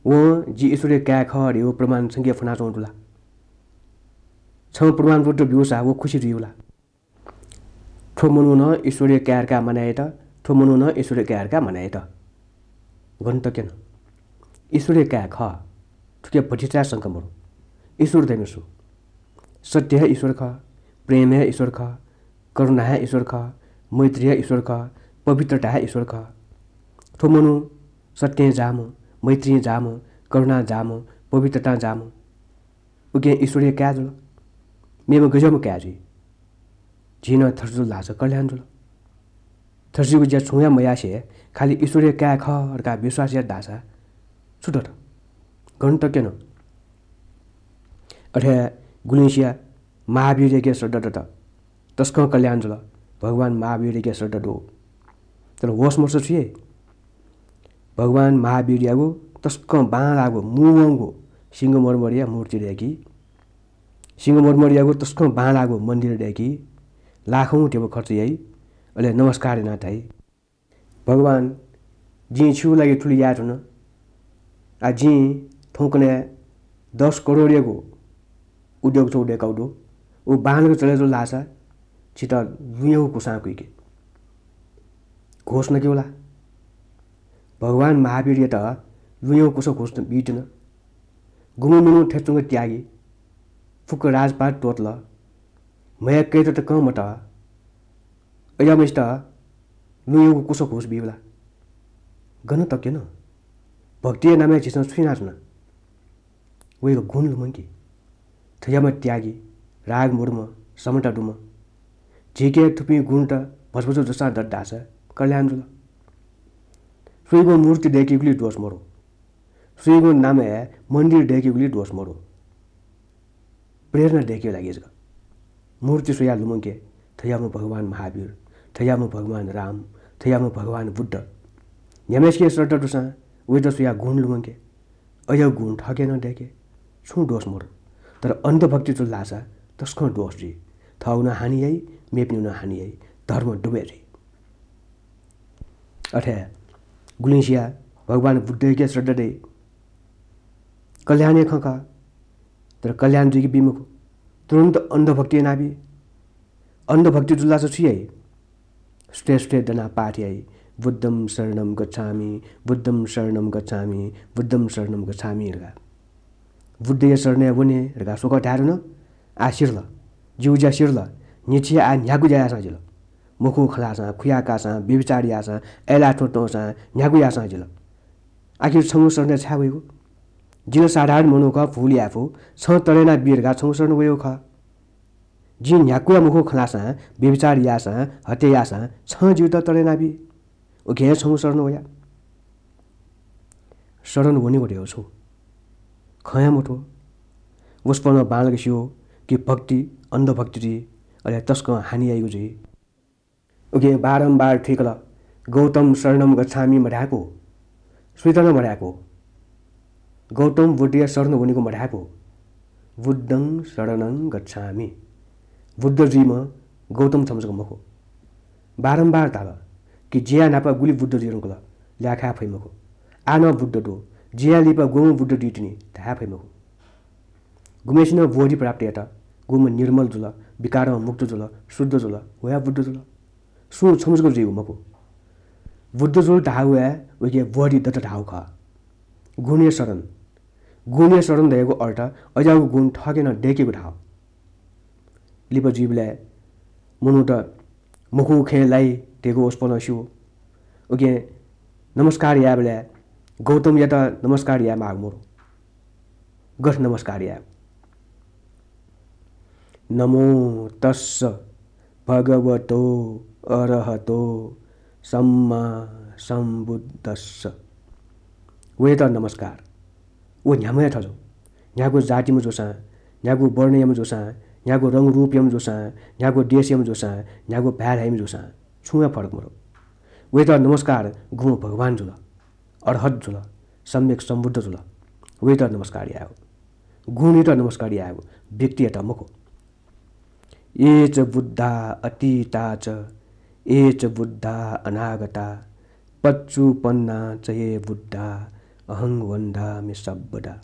वं जि ईश्वरया काय् खः धयागु प्रमाण छंके फ्वनाच्वंगु दु ला? छं प्रमाणपत्र ब्यूसा व खुसी जुइ ला? थ्व मनू नं ईश्वरया काय् धकाः मानय् यात, थ्व मनू नं ईश्वरया काय् धकाः मानय् यात। गन तक्यन। ईश्वरया काय् खः। थुके भतिचाय् शंका मरु। ईश्वर धइम्ह सु? सत्य हे ईश्वर खः, प्रेम हे ईश्वर खः, करुणा हे ईश्वर खः, मैत्री हे ईश्वर खः, पवित्रता हे ईश्वर खः। थ्व मनू सत्यं जाःम्ह, मैत्रीं जाःम्ह, करुणां जाःम्ह, पवित्रतां जाःम्ह। उकिं ईश्वरया काय् जुल। मेम्ह गज्याःम्ह काय् जुइ? झी नं थथे जुल धाःसा कल्याण जुल। थज्याःगु ज्या छुं हे मयासें खालि ईश्वरया काय् खः धकाः विश्वास यात धाःसा छु दत? गन तक्यन? अथे गुलिंसिया महावीरयाके श्रद्धा दत। तसकं कल्याण जुल। भगवान महावीरयाके श्रद्धा दु। तर होस मर्स छु याइ? भगवान महावीरयागु तसकं बांलाःगु मूवंगु सिंहमरमरया मूर्ति दय्‌की। सिंहमरमरयागु तसकं बांलाःगु मन्दिर दय्‌की। लाखौं ध्यबा खर्च याइ। अले नमस्कार यानाः धाइ, भगवान, जिं छिगु लागि थुलि याये धुन। आ, जिं थौंकन्हय् दस करोडयागु उद्योग छगू दय्‌कागु दु। उ बांलाक चले जुल धाःसा छितः लुँयागु कुसां कुइके। घुस नकेगु ला? भगवान महावीरयात लुँयागु कुसा घुस बीतिन। गुम्ह मनू थथे च्वंक त्यागी, फुक्क राजपाट त्वःतल, म्हय् कय्‌त तकं मतः। अज्याःम्हय्‌सित लुँयागु कुसा घुस बीगु ला? गन तक्यन? भक्तिया नामय् झीसं छु यानाच्वना? वय्‌कः गुण लुमंकी। थज्याःम्ह त्यागी, राग मदुम्ह, समता दुम्ह। झीके थुपिं गुणत भचा भचा जूसां दत धाःसा कल्याण जुल। सुयागुं मूर्ति दय्‌केगुली दोष मदु। सुयागुं नामय् मन्दिर दय्‌केगुली दोष मदु। प्रेरणा दय्‌केगु लागि जक। मूर्ति स्वयाः लुमंके, थज्याःम्ह भगवान महावीर, थज्याःम्ह भगवान राम, थज्याःम्ह भगवान बुद्ध। न्ह्याम्हय्‌सिके श्रद्धा दुसां वयात स्वयाः गुण लुमंके। अज्याःगु गुण थःके नं दय्‌के। छुं दोष मदु। तर अन्धभक्ति जुल धाःसा तसकं दोष जुइ। थःगु नं हानि याइ, मेपिनिगु नं हानि याइ। धर्म डुबय् जुइ। अथे गुलिंसिया भगवान बुद्धयाके श्रद्धा दइ। कल्याणया खँ खः, तर कल्याण जुइके बी मखु। तुरुन्त अन्धभक्ति यानाबी। अन्धभक्ति जुल धाःसा छु याइ? सुथय् सुथय् दनाः पाठ याइ, बुद्धं शरणं गच्छामि, बुद्धं शरणं गच्छामि, बुद्धं शरणं गच्छामि धकाः। बुद्धया शरणय् वने धकाः स्वकः धाये धुन, आः सिधल। जिगु ज्या सिधल। न्हिच्छि आः न्ह्यागु ज्या याःसां जिल। मखुगु खँ ल्हाःसां, खुयाकाःसां, व्यभिचार याःसां, अय्‌लाः थ्वँ त्वंसां, न्ह्यागु याःसां जिल। आखिर छंगु शरणय् छाय् वयेगु? जि ला साधारण मनू खः, भूल याये फु, छं तःधं यानाबी धकाः छंगु शरण वयेगु खः। जिं न्ह्यागुया मखुगु खँ ल्हाःसां, व्यभिचार याःसां, हत्या याःसां छं जितः तःधं यानाबी। उकिं हे छंगु शरण वया। शरण वनेगु धयागु छु? खँ हे मथू। वसपोलं बांलाक स्यू कि भक्ति अन्धभक्ति जुइ, अले तसकं हानि याइगु जुइ। उकिं बारम्बार थुइकल, गौतम शरणं गच्छामि मधाय्‌कू, सुइत नं मधाय्‌कू। गौतम बुद्धया शरण वनेगु मधाय्‌कू, बुद्धं शरणं गच्छामि। बुद्ध जुइम्ह गौतम छम्ह जक मखु। बारम्बार धाल कि जिंया न्हापा गुलि बुद्ध जुइ धुंकल, ल्याखा फइ मखु। आः नं बुद्ध दु, जिंया लिपा गुम्ह बुद्ध जुइ तिनि धाये फइ मखु। गुम्हय्‌सिनं बोधि प्राप्त यात, गुम्ह निर्मल जुल, विकारं मुक्त जुल, शुद्ध जुल, व हे बुद्ध जुल। सुं छम्ह जक जुइगु मखु। बुद्ध जुल धाःगु हे वय्‌के बोधि दत धाःगु खः। गुणया शरण। गुणया शरण धयागु अर्थ अज्याःगु गुण थःके नं दय्‌केगु धाःगु। लिपा जुइबलय् मनूत मखुगु खँय् लाइ धयागु वसपोलं स्यू। उकिं नमस्कार यायेबलय् गौतमयात नमस्कार याये माःगु मदु। गथे नमस्कार यायेगु? नमो तस्स भगवतो अरहतो सम्मा सम्बुद्धस्स। वयात नमस्कार। व न्ह्याम्ह हे थजु। न्ह्यागु जातिम्ह जूसां, न्ह्यागु वर्णयाम्ह जूसां, न्ह्यागु रंगरूपयाम्ह जूसां, न्ह्यागु देशयाम्ह जूसां, न्ह्यागु भाय् ल्हाइम्ह जूसां, छुं हे फरक मदु। वयात नमस्कार गुम्ह भगवान जुल, अरहत जुल, सम्यक सम्बुद्ध जुल, वयात नमस्कार यायेगु। गुणयात नमस्कार यायेगु, व्यक्तियात मखु। ये च बुद्धा अतीता च, ये च बुद्धा अनागता, पच्चुपन्ना च ये बुद्धा, अहं वन्दामि सब्बदा।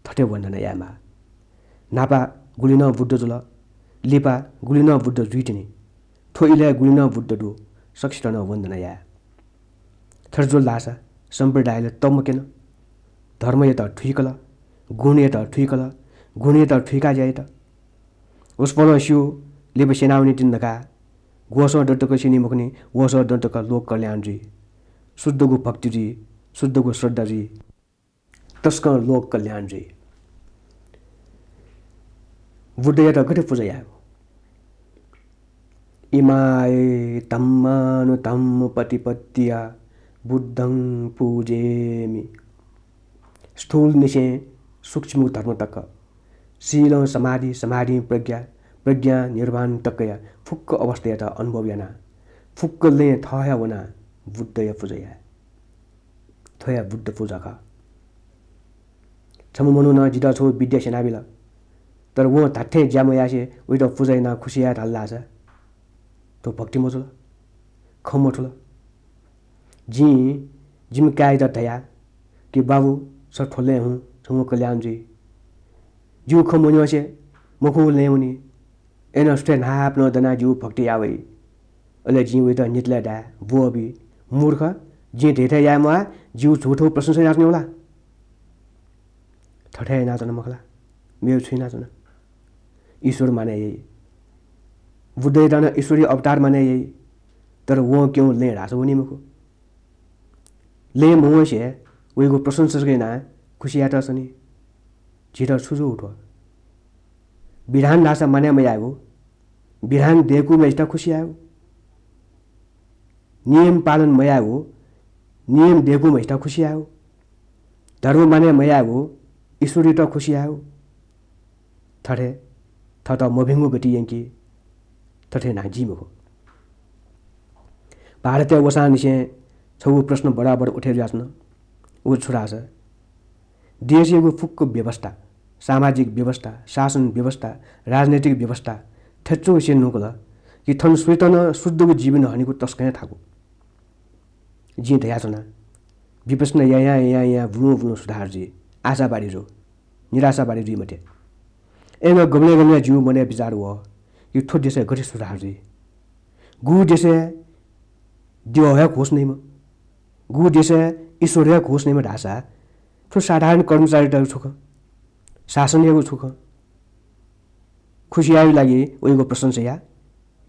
थथे वन्दना यायेमाः। न्हापा गुलि नं बुद्ध जुल, लिपा गुलि नं बुद्ध जुइतिनि, थ्व इलय् गुलि नं बुद्ध दु, सकसितं नं वन्दना याये। थथे जुल धाःसा सम्प्रदायले तमक्यन। धर्मयात थुइकल, गुणयात थुइकल, गुणयात थुइकाः ज्या यात। वसपोलं स्यू, लिपा स्यनावनीतिनि धकाः। ग्वसं दँ तक स्यनी मखुनि, वसं दँ तक लोक कल्याण जुइ। शुद्धगु भक्ति जुइ, शुद्धगु श्रद्धा जुइ। तसकं लोक कल्याण जुइ। बुद्धयात गथे पुजा यायेगु? इमाय धम्मानुधम्म पतिपत्तिया बुद्धं पूजेमि। स्थूल निसें सूक्ष्म धर्म तक, शीलं समाधि, समाधिं प्रज्ञा, प्रज्ञां निर्वाण तकया फुक्क अवस्थायात अनुभव याना, फुक्क लँय् थः हे वना बुद्धया पुजा याये। थ्व हे बुद्ध पुजा खः। छम्ह मनुखं जितः छगू विद्या स्यनाबिल, तर वं धात्थें ज्या मयासें वइत पुजा यानाः खुसि याये धाल धाःसा थ्व भक्ति मजुल, खँ मथुल। जिं जिमि काय्‌यात धया कि बाबु, छ थ्व लँय् हुँ, छंगु कल्याण जुइ। जिगु खँ मन्यंसे मखुगु लँय् वनी। अय्‌नं सुथय् न्हापां दनाः जिगु भक्ति याः वइ। अले जिं वइत नितले धाये, ब्वःबी, मूर्ख, जिं धयाथें याये म्वाः, जिगु झूठो प्रशंसा यानाच्वनेगु ला? थथे यानाच्वन मखु ला? मेगु छु यानाच्वन? ईश्वर मानय् याइ। बुद्धयात नं ईश्वरीय अवतार मानय् याइ, तर वं क्यंगु लँय् धाःसा वनी मखु। लँय् मवंसे वइगु प्रशंसा जक यानाः खुसि यायेत सनी। झीत छु जू थ्व? विधान धाःसा मानय् मयायेगु, विधान दय्‌कूम्हय्‌सित खुसि यायेगु। नियम पालन मयायेगु, नियम दय्‌कूम्हय्‌सित खुसि यायेगु। धर्म मानय् मयायेगु, ईश्वरयात खुसि यायेगु। थथे थःत मभिंगु गति यंकी, थथे यानाः जुइ मखु। भारतय् वसांनिसें छगू प्रश्न बराबर उठे जुयाच्वन। उ छु धाःसा, देशयागु फुक्क व्यवस्था, सामाजिक व्यवस्था, शासन व्यवस्था, राजनैतिक व्यवस्था थथे च्वंसे न्हुंकल कि थन सुइत नं शुद्धगु जीवन हनेगु तसकं हे थाकु। जिं धयाच्वना, विपश्यना यायां यायां यायां बुलुं बुलुं सुधार जुइ, आशावादी जु, निराशावादी जुइ मते। अय्‌नं गबलें गबलें जिगु मनय् विचार वः कि थ्व देशय् गथे सुधार जुइ? गु देशय् द्यः हे घोष नइम्ह, गु देशय् ईश्वर हे घोष नइम्ह धाःसा थ्व साधारण कर्मचारीतय्‌गु छु खँ? शासनयागु छु खँ? खुसि यायेगु लागि वइगु प्रशंसा या,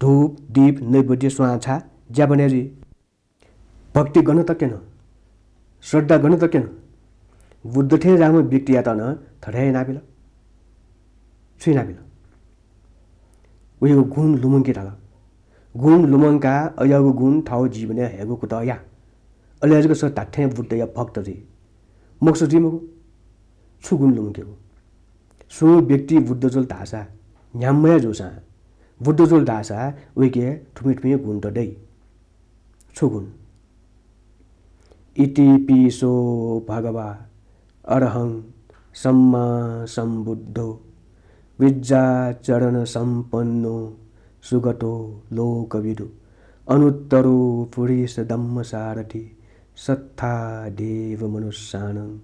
धूप, दीप, नैवेद्य, स्वां छाः, ज्या बने जुइ। भक्ति गन तक क्यन, श्रद्धा गन तक क्यन। बुद्ध थें ज्याःम्ह व्यक्तियात नं थथे हे यानाबिल। छु यानाबिल? वयागु गुण लुमंके धाल। गुण लुमंकाः अज्याःगु गुण थःगु जीवनय् हयेगु कुतः या। अले जक छ धात्थें बुद्धया भक्त जुइ। मखुसा जुइ मखु। छु गुण लुमंकेगु? सुं व्यक्ति बुद्ध जुल धाःसा, न्ह्याम्ह हे जूसां बुद्ध जुल धाःसा वय्‌के थुमि थुमि गुण त दइ। छु गुण? इतिपि सो भगवा अरहं सम्मा सम्बुद्धो विज्जाचरण सम्पन्नो सुगतो लोकविदु अनुत्तरो पुरिसदम्मसारथि सत्था देवमनुस्सानं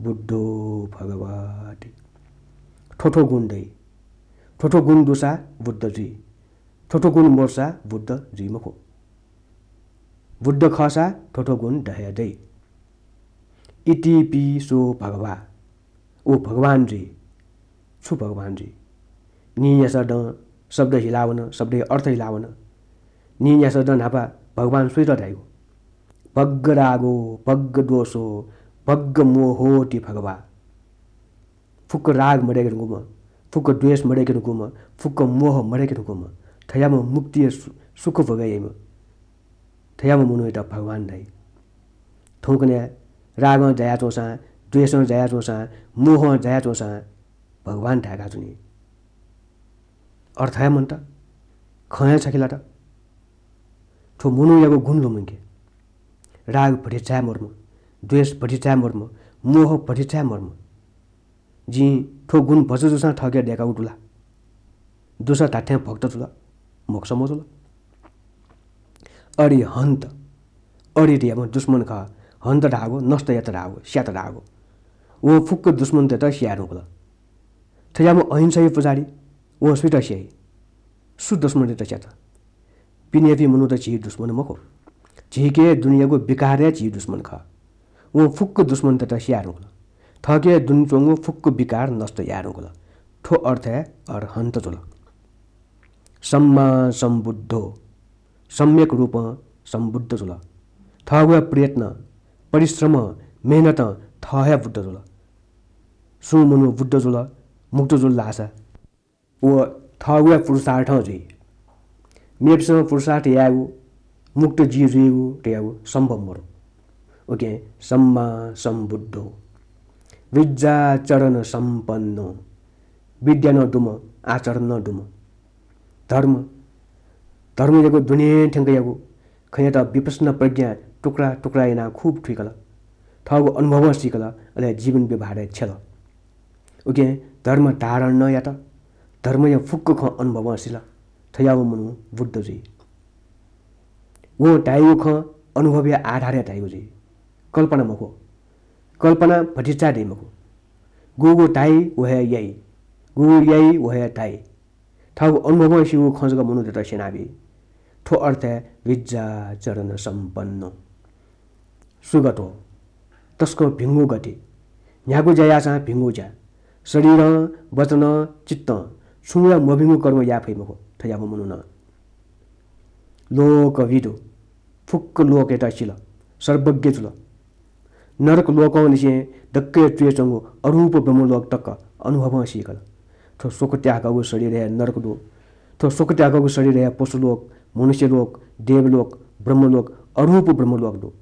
बुद्धो भगवाति। थ्व थ्व गुण दइ। थ्व थ्व गुण दुसा बुद्ध जुइ। थ्व थ्व गुण मदुसा बुद्ध जुइ मखु। बुद्ध खःसा थ्व थ्व गुण द हे दइ। इतिपि सो भगवा, व भगवान जुइ। छु भगवान जुइ? नीन्यासः दँ शब्द हिलावन, शब्दया अर्थ हिलावन। नीन्यासः दँ न्हापा भगवान सुइत धाइगु? भग्ग रागो, भग्ग द्वेषो, भग्ग मोहोति भगवा। फुक्क राग मदय्‌के धुंकूम्ह, फुक्क द्वेष मदय्‌के धुंकूम्ह, फुक्क मोह मदय्‌के धुंकूम्ह, थज्याःम्ह मुक्तिया सु-, सुख भोगे याइम्ह, थज्याःम्ह मनूयात भगवान धाइ। थौंकन्हय् रागं जायाच्वंसां, द्वेषं जायाच्वंसां, मोहं जायाच्वंसां भगवान धाय्‌का च्वनी। अर्थ हे मन्त, खँ हे छखेलात। थ्व मनूयागु गुण लुमंके। राग भतिचा हे मदुम्ह, द्वेष भतिचा हे मदुम्ह, मोह भतिचा हे मदुम्ह। जिं थ्व गुण भचा जूसां थःके दय्‌कागु दु ला? दुसा धात्थें भक्त जुल, मखुसा मजुल। अरिहन्त, अरि धयाम्ह दुश्मन खः, हन्त धाःगु नष्ट यात धाःगु, स्यात धाःगु। वं फुक्क दुश्मनतय्‌त स्याये धुंकल। थज्याःम्ह अहिंसाया पुजारी, वं सुइत स्याइ? सु दुश्मनतय्‌त स्यात? पिनेपिं मनूत झी दुश्मन मखु। झीके दुने याःगु विकार हे झी दुश्मन खः। वं फुक्क दुश्मनतय्‌त स्याये धुंकल। थःके दुने च्वंगु फुक्क विकार नष्ट याये धुंकल। थ्व अर्थ हे अरहन्त जुल। सम्मा सम्बुद्धो, सम्यक रूपं सम्बुद्ध जुल। थःगु हे प्रयत्न, परिश्रम, मेहनतं थः हे बुद्ध जुल। सुं मनू बुद्ध जुल, मुक्त जुल धाःसा व थःगु हे पुरुषार्थं जुइ। मेपिसं पुरुषार्थ यायेगु, मुक्त जुइ जुइगु धयागु सम्भव मदु। उकिं सम्मा सम्बुद्धो विज्जाचरण सम्पन्नो, विद्या नं दुम्ह, आचरण नं दुम्ह। धर्म, धर्मयागु दुने थ्यंकयागु खँयात विपश्यना प्रज्ञा टुक्रा टुक्रा यानाः खुब थुइकल। थःगु अनुभवं सीकल, अले जीवन व्यवहारय् छ्यल। उकिं धर्म धारण नं यात, धर्मया फुक्क खँ अनुभवं सिल। थज्याःम्ह मनू बुद्ध जुइ। वं धाइगु खँ अनुभवया आधारय् धाइगु जुइ। कल्पना मखु। कल्पना भतिचा दइ मखु। गुगु धाइ, व हे याइ। गुगु याइ, व हे धाइ। थःगु अनुभवं सीगु खँ जक मनूतय्त स्यनाबी। थ्व अर्थय् विज्जाचरण सम्पन्नो। सुगतो, तसकं भिंगु गति। न्ह्यागु ज्या याःसां भिंगु ज्या। शरीरं, वचनं, चित्तं छुं ला मभिंगु कर्म याये फइ मखु थज्याःम्ह मनुखं। लोकविदु, फुक्क लोकयात सिल, सर्वज्ञ जुल। नरक लोकंनिसें दक्कय् च्वय् च्वंगु अरूप ब्रह्मलोक तक अनुभवं सीकल। थ्व स्वकुत्याकागु शरीर हे नरक दु। थ्व स्वकुत्याकागु शरीर हे पशुलोक, मनुष्यलोक, देवलोक, ब्रह्मलोक, अरूप ब्रह्मलोक दु।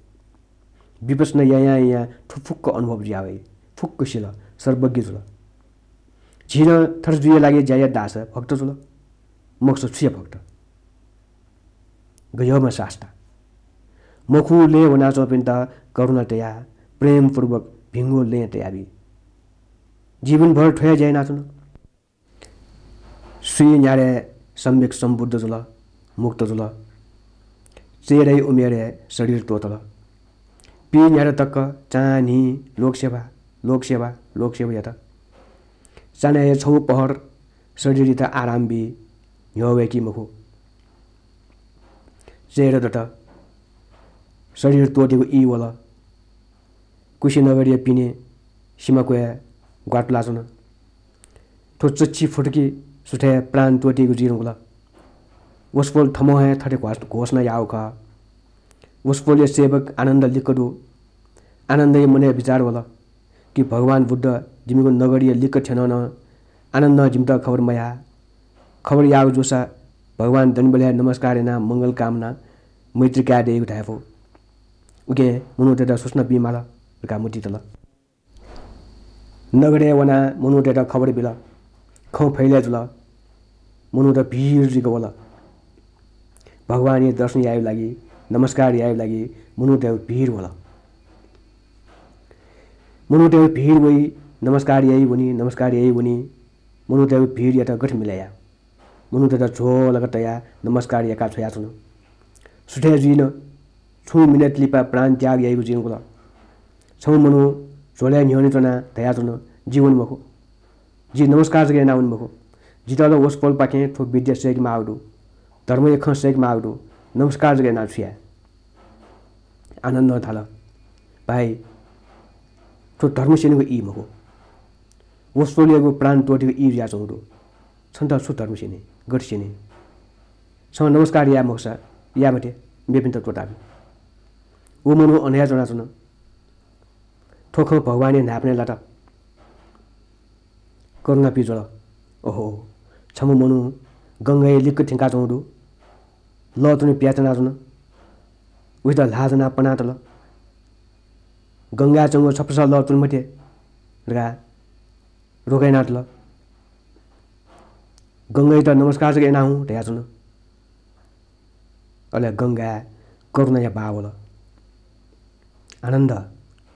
विपश्यना यायां यायां थ्व फुक्क अनुभव जुया वइ। फुक्क सिल, सर्वज्ञ जुल। झी नं थथे जुइया लागि ज्या यात धाःसा भक्त जुल, मखुसा छु याये भक्त? गय्म्ह सास्ता। मखु लँय् वनाच्वंपिन्त करुणा तयाः प्रेमपूर्वक भिंगु लँय् तयाबी। जीवनभर थ्व हे ज्या यानाच्वन। स्वीन्यारे सम्यक सम्बुद्ध जुल, मुक्त जुल। चय्‌दँय् उमेरय् शरीर त्वःतल। पीन्यारे तक चान्हि लोकसेवा, लोकसेवा, लोकसेवा यात। चान्हय् छगू पहर शरीरयात आराम बी, न्ह्यः वय्‌की मखु। चय्‌दँ दत। शरीर त्वःतेगु ई वल। कुशीनगरया पिने सिमा क्वय् ग्वातुलाच्वन। थ्व चच्छि फुतुकी सुथय् प्राण त्वःतेगु जुइ धुंकल। वसपोल थःम्हं हे थथे घोष-, घोषणा याःगु खः। वसपोलया सेवक आनन्द लिक्क दु। आनन्दया मनय् विचार वल कि भगवान बुद्ध जिमिगु नगरया लिक्क थ्यनं नं आनन्दं जिमित खबर मयाः। खबर याःगु जूसा भगवान दनिबलय् नमस्कार यानाः मंगल कामना, मैत्री काये दइगु धायेफु। उकिं मनूतय्‌त सूचना बीमाल धकाः मतिइ तल। नगरय् वनाः मनूतय्‌त खबर बिल। खँ फैलय् जुल। मनूत भिड जुइक वल। भगवानया दर्शन यायेगु लागि, नमस्कार यायेगु लागि मनूतय्‌गु भिड वल। मनूतय्‌गु भिड वइ, नमस्कार याइ वनी, नमस्कार याइ वनी। मनूतय्‌गु भिडयात गथे मिले याये? मनूतय्‌त झ्वलक तयाः नमस्कार याकाः छ्वयाच्वन। सुथय् जुइन, छुं मिनेट लिपा प्राण त्याग याइगु जुइ धुंकल। छम्ह मनू झ्वलय् न्ह्यःने च्वनाः धयाच्वन, "जि वने मखु। जि नमस्कार जक यानाः वने मखु। जितः ला वसपोलपाखें थ्व विद्या सय्‌के माःगु दु। धर्मया खँ सय्‌के माःगु दु। नमस्कार जक यानाः छु याये?" आनन्दं धाल, "भाइ, थ्व धर्म स्यनेगु ई मखु। वसपोलयागु प्राण त्वःतेगु ई जुयाच्वंगु दु। छन्त छु धर्म स्यने, गथे स्यने? छं नमस्कार याये मखुसा याये मते, मेपिन्त त्वःताबी।" व मनू अन हे च्वनाच्वन। थ्व खँ भगवानया न्हाय्‌पनय् लात। करुणा पिज्वल। ओहो, छम्ह मनू गंगाय् लिक्क थ्यंकाच्वंगु दु। लः त्वने पियाच्वनाच्वन। उइत ल्हाः ज्वनाः पनातल। "गंगाय् च्वंगु छपसः लः त्वने मते" धकाः रोका यानातल। "गंगायात नमस्कार जक याना हुँ" धयाच्वन। अले गंगाय् करुणाया बहाः वल। "आनन्द,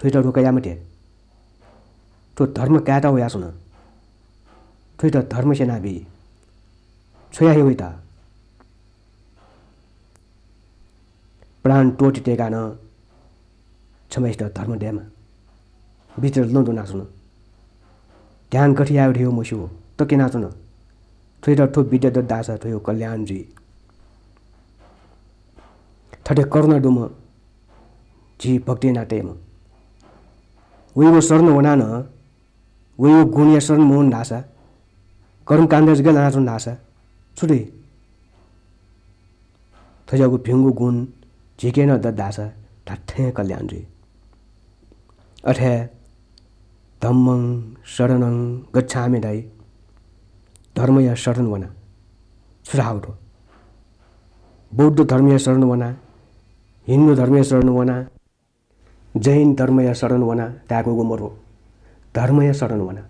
थ्वइत रोका याये मते। थ्व धर्म कायेत वयाच्वन। थ्वइत धर्म स्यनाबी। छ्वया हे वइत।" प्राण त्वःते तय्‌काः नं छम्हय्‌सित धर्म दयेमा। भित्र लँ दनाच्वन। ध्यान गथे यायेगु धयागु मस्यू, तक्यनाच्वन। थ्वइत थ्व विद्या दत धाःसा थ्वयागु कल्याण जुइ। थथे करुणा दुम्ह झी भक्ति याना तयेम्ह। वयागु शरण वनाः नं वयागु गुणया शरण मवन धाःसा, कर्मकाण्ड जक लानाच्वन धाःसा छु दइ? थज्याःगु भिंगु गुण झीके नं दत धाःसा धात्थें कल्याण जुइ। अथे धम्मं शरणं गच्छामि धाइ। धर्मया शरण वना। छु धाःगु थ्व? बौद्ध धर्मया शरण वना, हिन्दू धर्मया शरण वना, जैन धर्मया शरण वना धायेकूगु मरु। धर्मया शरण वना।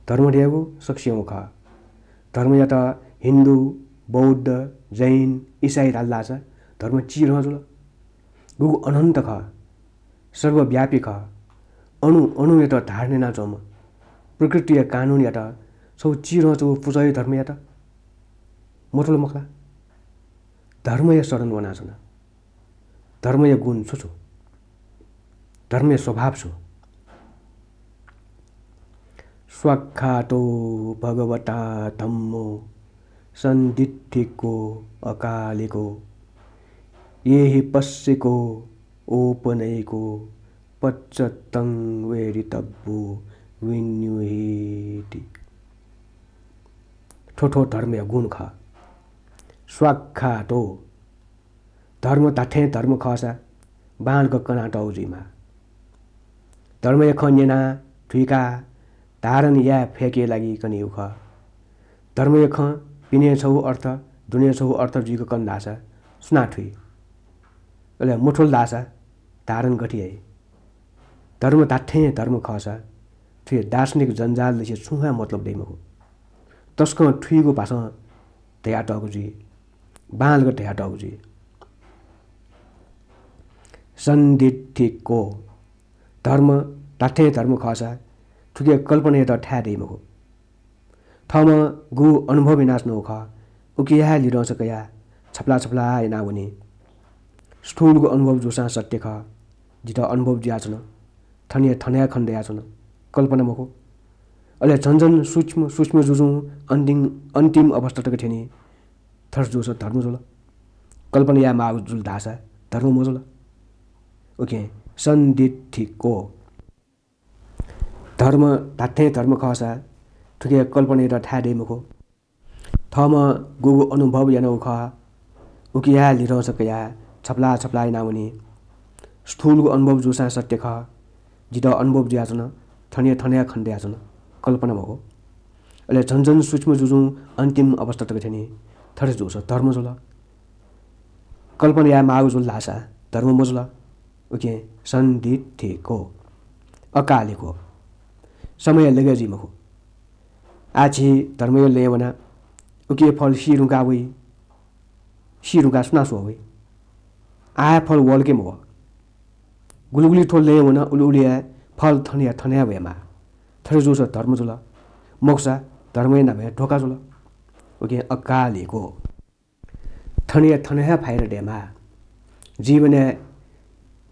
धर्म धयागु सकसियागु खः। धर्मयात हिन्दू, बौद्ध, जैन, इसाई धाल धाःसा धर्म चिरहं जुल। गुगु अनन्त खः, सर्वव्यापी खः, अणु अणुयात धारण यानाच्वंम्ह, प्रकृतिया कानुनयात छगू चिरहं च्वंगु पुचःया धर्मयात मथुल मखु ला? धर्मया शरण वनाच्वना। धर्मया गुण छु छु? धर्मया स्वभाव छु? स्वाक्खातो भगवता धम्मो सन्दिट्ठिको अकालिको एहिपस्सिको ओपनयिको पच्चत्तं वेदितव्यो विनियोगीति। थ्व थ्व धर्मया गुण खः। स्वाक्खातो। धर्म धात्थें धर्म खःसा बांलाक कनातःगु जुइमाः। धर्मया खँ न्यनाः, थुइकाः, धारण याये फय्केया लागि कनीगु खः। धर्मया खँ पिने छगू अर्थ, दुने छगू अर्थ जुइक कन धाःसा सुनां थुइ? अले मथुल धाःसा धारण गथे याइ? धर्म धात्थें धर्म खःसा थुया दार्शनिक जन्जाललिसे छुं हे मतलब दइ मखु। तसकं थुइगु भाषां धयातःगु जुइ, बांलाक धयातःगु जुइ। सन्दिट्ठिको। धर्म धात्थें धर्म खःसा थुके कल्पनायात थाय् दइ मखु। थःम्हं गुगु अनुभव यानाच्वनागु खः, उकिया हे लिधंस कयाः छपला छपला यानावनी। स्थूलगु अनुभव जूसां सत्य खः, जितः अनुभव जुयाच्वन, थनया थन हे खने दयाच्वन, कल्पना मखु। अले झन झन सूक्ष्म सूक्ष्म जुजुं अन्तिम, अन्तिम अवस्था तक थ्यनी। थथे जूसा धर्म जुल। कल्पना याये माःगु जुल धाःसा धर्म मजुल। उकिं सन्दिट्ठिको। धर्म धात्थें धर्म खःसा थुके कल्पनायात थाय् दइ मखु। थःम्हं गुगु अनुभव यानागु खः, उकिया हे लिधंस कयाः छपला छपला यानावनी। स्थूलगु अनुभव जूसां सत्य खः, जितः अनुभव जुयाच्वन, थनया थन हे खने दयाच्वन, कल्पना मखु। अले झन झन सूक्ष्म जुजुं अन्तिम अवस्था तक थ्यनी। थथे जूसा धर्म जुल। कल्पना याये माःगु जुल धाःसा धर्म मजुल। उकिं सन्दिट्ठिको, अकालिको। समय लगे जुइ मखु। आः झी धर्मया लँय् वना, उकिया फल सी धुंकाः वइ। सी धुंकाः सुनां स्वः वइ? आः हे फल वल के मवः? गुलिगुलि थ्व लँय् वन, उलिउलि हे फल थनया थन हे वयेमाः। थथे जूसा धर्म जुल, मखुसा धर्मया नामय् धोखा जुल। उकिं अकालिको। थनया थन हे फाइदा दयेमाः। जीवनय्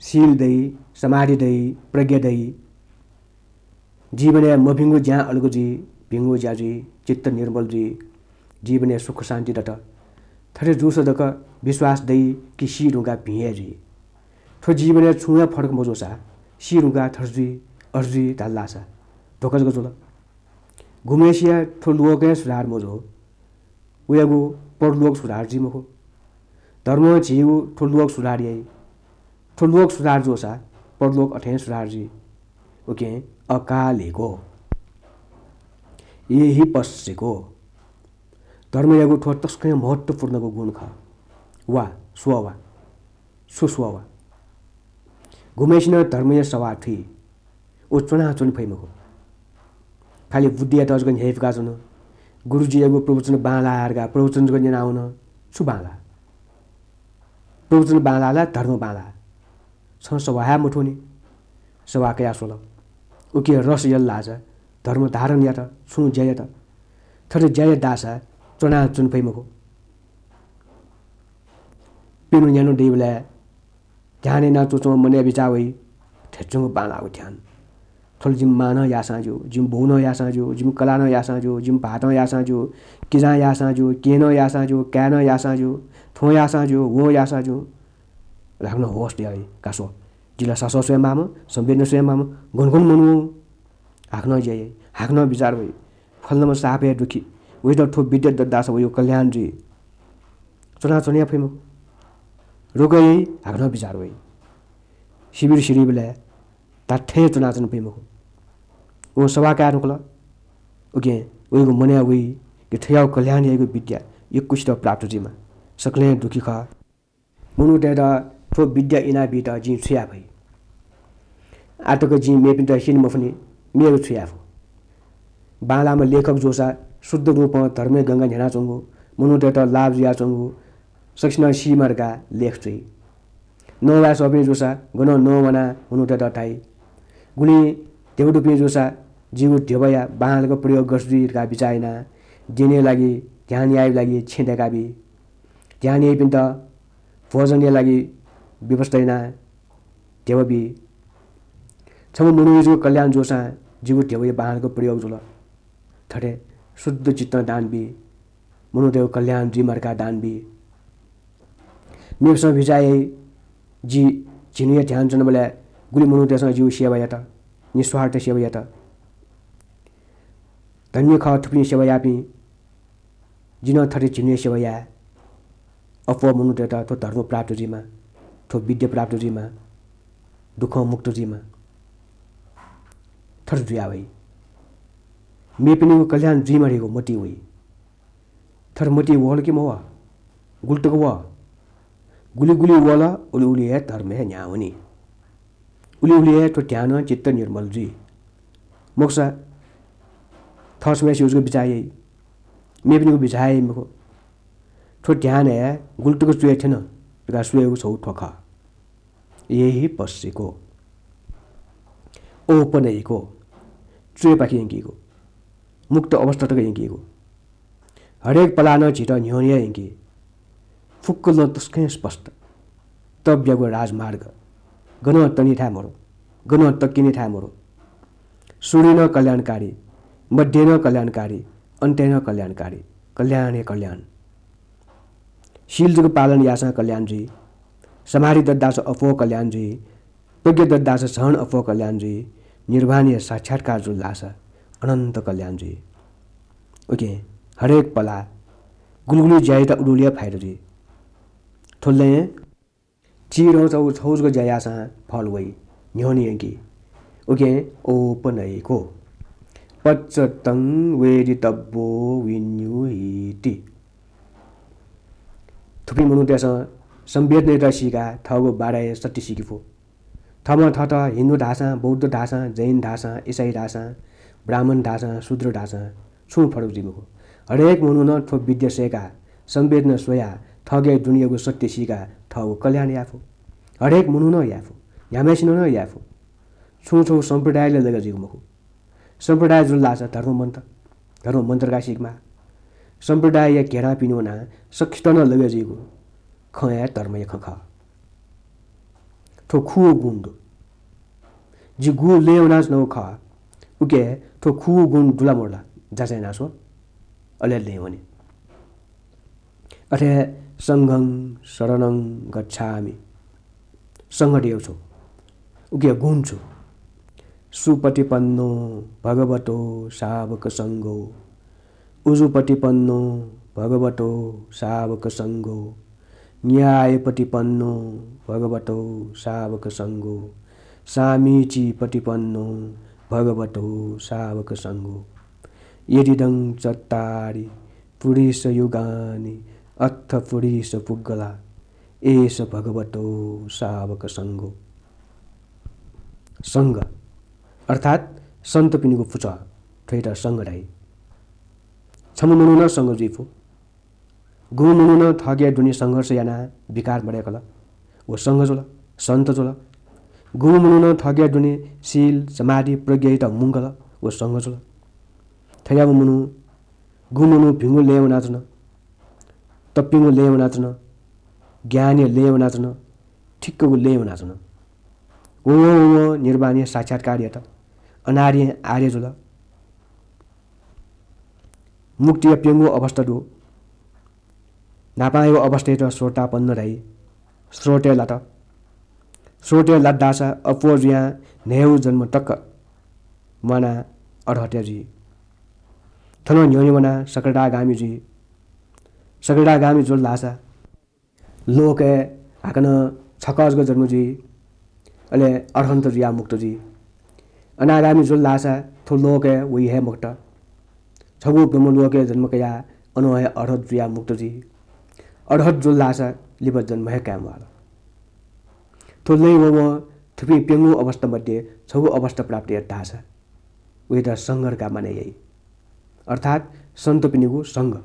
शील दइ, समाधि दइ, प्रज्ञा दइ। जीवनय् मभिंगु ज्यां अलग जुइ, भिंगु ज्या जुइ, चित्त निर्मल जुइ, जीवनय् सुख शान्ति दत। थथे जूसा जक विश्वास दइ कि सी धुंकाः भिं हे जुइ। थ्व जीवनय् छुं हे फरक मजूसा सी धुंकाः थथे जुइ, अथे जुइ धाल धाःसा धोखा जक जुल। गुम्हय्सिया थ्व लोकं हे सुधार मजू, वयागु परलोक सुधार जुइ मखु। धर्मं झीगु थ्व लोक सुधार याइ। थ्व लोक सुधार जूसा परलोक अथें सुधार जुइ। उकिं अकालिको, एहिपस्सिको। धर्मयागु थ्व तसकं महत्त्वपूर्णगु गुण खः। वा, स्वः वा। छु स्वः वा? गुम्हय्सिनं धर्मया सवाः थुइ, व च्वनाच्वने फइ मखु। खालि बुद्धियात जक न्ह्यइपुकाच्वन। गुरुजीयागु प्रवचन बांलाः धकाः प्रवचन जक न्यनावन। छु बांलाः? प्रवचन बांलाः ला धर्म बांलाः? छं सवाः हे मथूनि। सवाः कयाः स्वल। उकिं रस यल धाःसा धर्म धारण यात, छुं ज्या यात। थथे ज्या यात धाःसा च्वनाच्वने फइ मखु। प्यन्हु न्यान्हु दइबलय् ध्यान याना च्वंच्वं मनय् बिचाः वइ, थ्यंच्वंगु बांलाःगु ध्यान। थ्व ला जिमि मां नं याःसां ज्यू, जिमि बौ नं याःसां ज्यू, जिमि कलाः नं याःसां ज्यू, जिमि भाःतं याःसां ज्यू, किजां याःसां ज्यू, केहेँ नं याःसां ज्यू, काय् नं याःसां ज्यू, थ्वं याःसां ज्यू, वं याःसां ज्यू। हाकनं होश दयाः वइ, का स्व। जि ला सासः स्वये माःम्ह, संवेदना स्वये माःम्ह, गन गन मनू। हाकनं ज्या याइ, हाकनं बिचाः वइ। फलानाम्ह साप हे दुःखी, वयात थ्व विद्या दत धाःसा वयागु कल्याण जुइ। च्वनाच्वने फइ मखु। रोग याइ, हाकनं बिचाः वइ। शिविर सिधइबलय् धात्थें च्वनाच्वने फइ मखु। वं सवाः काये धुंकल। उकिं वयागु मनय् वइ कि थज्याःगु कल्याण याइगु विद्या यक्वसित प्राप्त जुइमा। सकलें दुःखी खः। मनूतय्त थ्व विद्या इनाबीत जिं छु याये फइ? आःतक जिं मेपिन्त स्यने मफुनि, मेगु छु याये फु? बांलाःम्ह लेखक जूसा शुद्ध रूपं धर्मय् गंगा न्ह्यानाच्वंगु, मनूतय्त लाभ जुयाच्वंगु, सकसिनं सीमा धकाः लेख च्वइ। नवाये सःपिं जूसा गनं नवानाः मनूतय्त धाइ। गुलिं ध्यबा दुपिं जूसा जिगु ध्यबाया बांलाक प्रयोग गथे जुइ धकाः बिचाः यानाः द्यनेया लागि, ध्यान यायेया लागि छेँ दय्काबी। ध्यान याइपिन्त भोजनया लागि व्यवस्था यानाः ध्यबा बी। छम्ह मनूया जक कल्याण जूसां जिगु ध्यबाया बांलाक प्रयोग जुल। थथे शुद्ध चित्तं दान बी, मनूतय्गु कल्याण जुइमा धकाः दान बी। मेपिसं बिचाः याइ, जि झिन्हुया ध्यान च्वनाबलय् गुलि मनूतय्सं जिगु सेवा यात, निस्वार्थ सेवा यात। धन्य खः थुपिं सेवा याःपिं। जिं नं थथे झिन्हुया सेवा याये। अप्वः मनूतय्त थ्व धर्म प्राप्त जुइमा, थ्व विद्या प्राप्त जुइमा, दुःखं मुक्त जुइमा। थथे जुया वइ। मेपिनिगु कल्याण जुइमा धइगु मतिइ वइ। थथे मतिइ वल कि मवः? गुलि तक वः? गुलि गुलि वल, उलि उलि हे धर्म हे न्ह्याः वनी। उलि उलि हे थ्व ध्यानं चित्त निर्मल जुइ। मखुसा थः स्वयाः स्यू जक बिचाः याइ, मेपिनिगु बिचाः याइ मखु। थ्व ध्यान हे गुलि तक च्वय् थ्यन धकाः स्वयेगु छगू थ्व खः। एहि पस्सिको, ओपनय्को, च्वय्पाखे यंकीगु, मुक्त अवस्था तक यंकीगु। हरेक पलाः नं झीत न्ह्यःने हे यंकी। फुक्क लँ तसकं स्पष्ट। तब्यागु राजमार्ग। गनं तनी थाय् मरु, गनं तक्यनी थाय् मरु। सुरुइ नं कल्याणकारी, मध्ये नं कल्याणकारी, अन्तय् नं कल्याणकारी। कल्याण हे कल्याण। शील जक पालन याःसां कल्याण जुइ। समाधि दत धाःसा अप्वः कल्याण जुइ। प्रज्ञा दत धाःसा झन अप्वः कल्याण जुइ। निर्वाणया साक्षात्कार जुल धाःसा अनन्त कल्याण जुइ। उकिं हरेक पलाः गुलि गुलि ज्या यात उलि उलि हे फाइदा जुइ। थ्व लँय् चिधंगु छगू जक ज्या याःसां फल वइ, न्ह्यःने यंकी। उकिं ओपनय्को। पच्चत्तं वेदितव्यो विनियोगीति। थुपिं मनूतय्सं संवेदनायात सीकाः थःगु बाधाया सत्य सीके फु। थःम्हं थःत हिन्दू धाःसां, बौद्ध धाःसां, जैन धाःसां, इसाई धाःसां, ब्राह्मण धाःसां, शूद्र धाःसां छुं फरक जुइ मखु। हरेक मनुखं थ्व विद्या सय्काः, संवेदना स्वयाः, थःके दुनेयागु सत्य सीकाः थःगु कल्याण याये फु। हरेक मनुखं याये फु, न्ह्याम्हसिनं याये फु। छुं छगू सम्प्रदायले लगे जुइगु मखु। सम्प्रदाय जुल धाःसा धर्म मन्त, धर्म मन्त धकाः सीकेमाः। सम्प्रदायया घेरां पिने वनाः सकसित नं लगे जुइगु खँ हे धर्मया खँ खः। थ्व खुगू गुण दु। जि गु लँय् वनाच्वनागु खः, उके थ्व खुगू गुण दु ला मदु ला जाँच याना स्व, अले लँय् वने। अथे संघं शरणं गच्छामि। संघ धयागु छु? उके गुण छु? सुपटिपन्नो भगवतो सावक संघो। उजुपटिपन्नो भगवतो सावक संघो। न्यायपटिपन्नो भगवतो सावक संघो। सामीचिपटिपन्नो भगवतो सावक संघो। यदिदं चत्तारि पुरिसयुगानि अथ पुरिसपुग्गला एष भगवतो सावक संघो। संघ अर्थात् सन्तपिनिगु पुचः, थ्वयात संघ धाइ। छम्ह मनुखं संघ जुइ फु। गुम्ह मनुखं थःके दुने संघर्ष यानाः विकार मदय्कल, व संघ जुल, सन्त जुल। गुम्ह मनुखं थःके दुने शील, समाधि, प्रज्ञायात मुंकल, व संघ जुल। थज्याःम्ह मनू, गुम्ह मनू भिंगु लँय् वनाच्वन, तप्यंगु लँय् वनाच्वन, ज्ञानया लँय् वनाच्वन, ठिक्कगु लँय् वनाच्वन। वं वं वं निर्वाणया साक्षात्कार यात, अनादिं आर्य जुल। मुक्तिया प्यंगू अवस्था दु। न्हापांयागु अवस्थायात स्रोतापन्न धाइ। स्रोतय् लात। स्रोतय् लात धाःसा अप्वः जुयां न्हय्गू जन्म तक म्वानाः अर्हतय् जुइ। थनं न्ह्यःने वनाः सकदागामी जुइ। सकदागामी जुल धाःसा लोकय् हाकनं छकः जक जन्म जुइ, अले अर्हन्त जुयाः मुक्त जुइ। अनागामी जुल धाःसा थ्व लोकय् वइ हे मखुत। छगू ब्रह्मलोकय् जन्म कयाः अनं हे अर्हत जुयाः मुक्त जुइ। अर्हत जुल धाःसा लिपा जन्म हे काये म्वाल। थ्व लँय् वंवं थुपिं प्यंगू अवस्था मध्ये छगू अवस्था प्राप्त यात धाःसा वयात संघ धकाः माने याइ। अर्थात् सन्तपिनिगु संघ,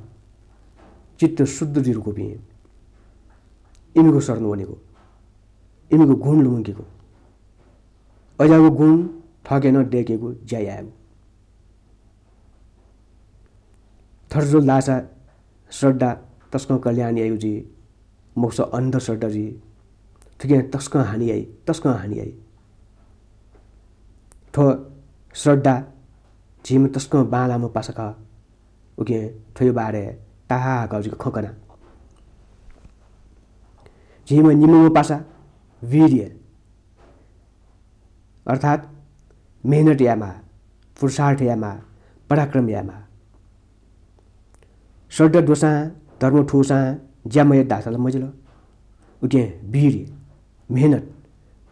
चित्त शुद्ध जुइधुंकूपिं, इमिगु शरण वनेगु, इमिगु गुण लुमंकेगु, अज्याःगु गुण थःके नं दय्केगु ज्या यायेगु। थथे जुल धाःसा श्रद्धा तसकं कल्याण याइगु जुइ, मखुसा अन्धश्रद्धा जुइ। थुकिं तसकं हानि याइ, तसकं हानि याइ। थ्व श्रद्धा झीम्ह तसकं बांलाःम्ह पासा खः। उकिं थ्वया बारे ताहाकःगु जिगु खँ कना। झीम्ह निम्हम्ह पासा वीर्य, अर्थात् मेहनत यायेमाः, पुरुषार्थ यायेमाः, पराक्रम यायेमाः। श्रद्धा दुसां, धर्म थूसां ज्या मयात धाःसा ला मजिल। उकिं वीर्य, मेहनत,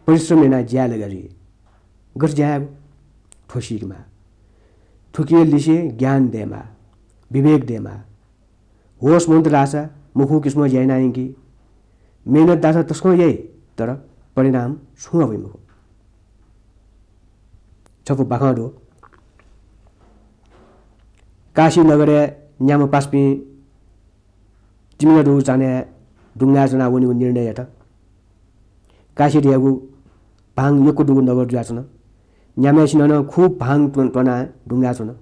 परिश्रम यानाः ज्याय् लगे जुइ। गथे ज्या यायेगु? थ्व सीकेमाः। थुकिया लिसे ज्ञान दयेमाः, विवेक दयेमाः। होश मन्त धाःसा मखु किसिमं ज्या याना यंकी। मेहनत धाःसा तसकं याइ, तर परिणाम छुं वइ मखु। छपु बाखं दु। काशी नगरय् न्याम्ह पासापिं तिमिला दुगु चान्हय् दुंगाय् च्वनाः वनेगु निर्णय यात। काशी धयागु भाङ यक्व दुगु नगर जुयाच्वन। न्याम्हय्‌सिनं नं खुब भाङ त्व-, त्वनाः दुंगाय् च्वन।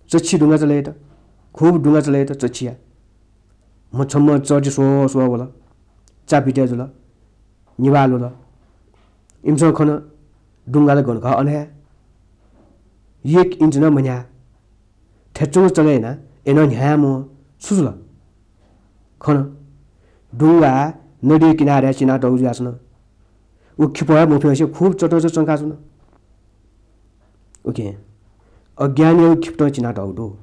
चच्छि दुंगा चले यात, खुब दुंगा चले यात चच्छिया। म्ह छम्ह चःति स्वः स्वः वल, चा बिते जुल, निभाः ल्वल। इमिसं खन, दुंगा ला गन खः अन हे, एक इन्च नं मन्ह्याः। थ्यंच्वंगु चले यानाः अय्‌नं न्ह्याः म्वाः। छु जुल? खन, दुंगा नदीया किनारय् चिनातःगु जुयाच्वन। व खिपः हे मफ्यंसे खुब चटंच च्वंकाच्वन। उकिं अज्ञानयागु खिपतं चिनातःगु दु।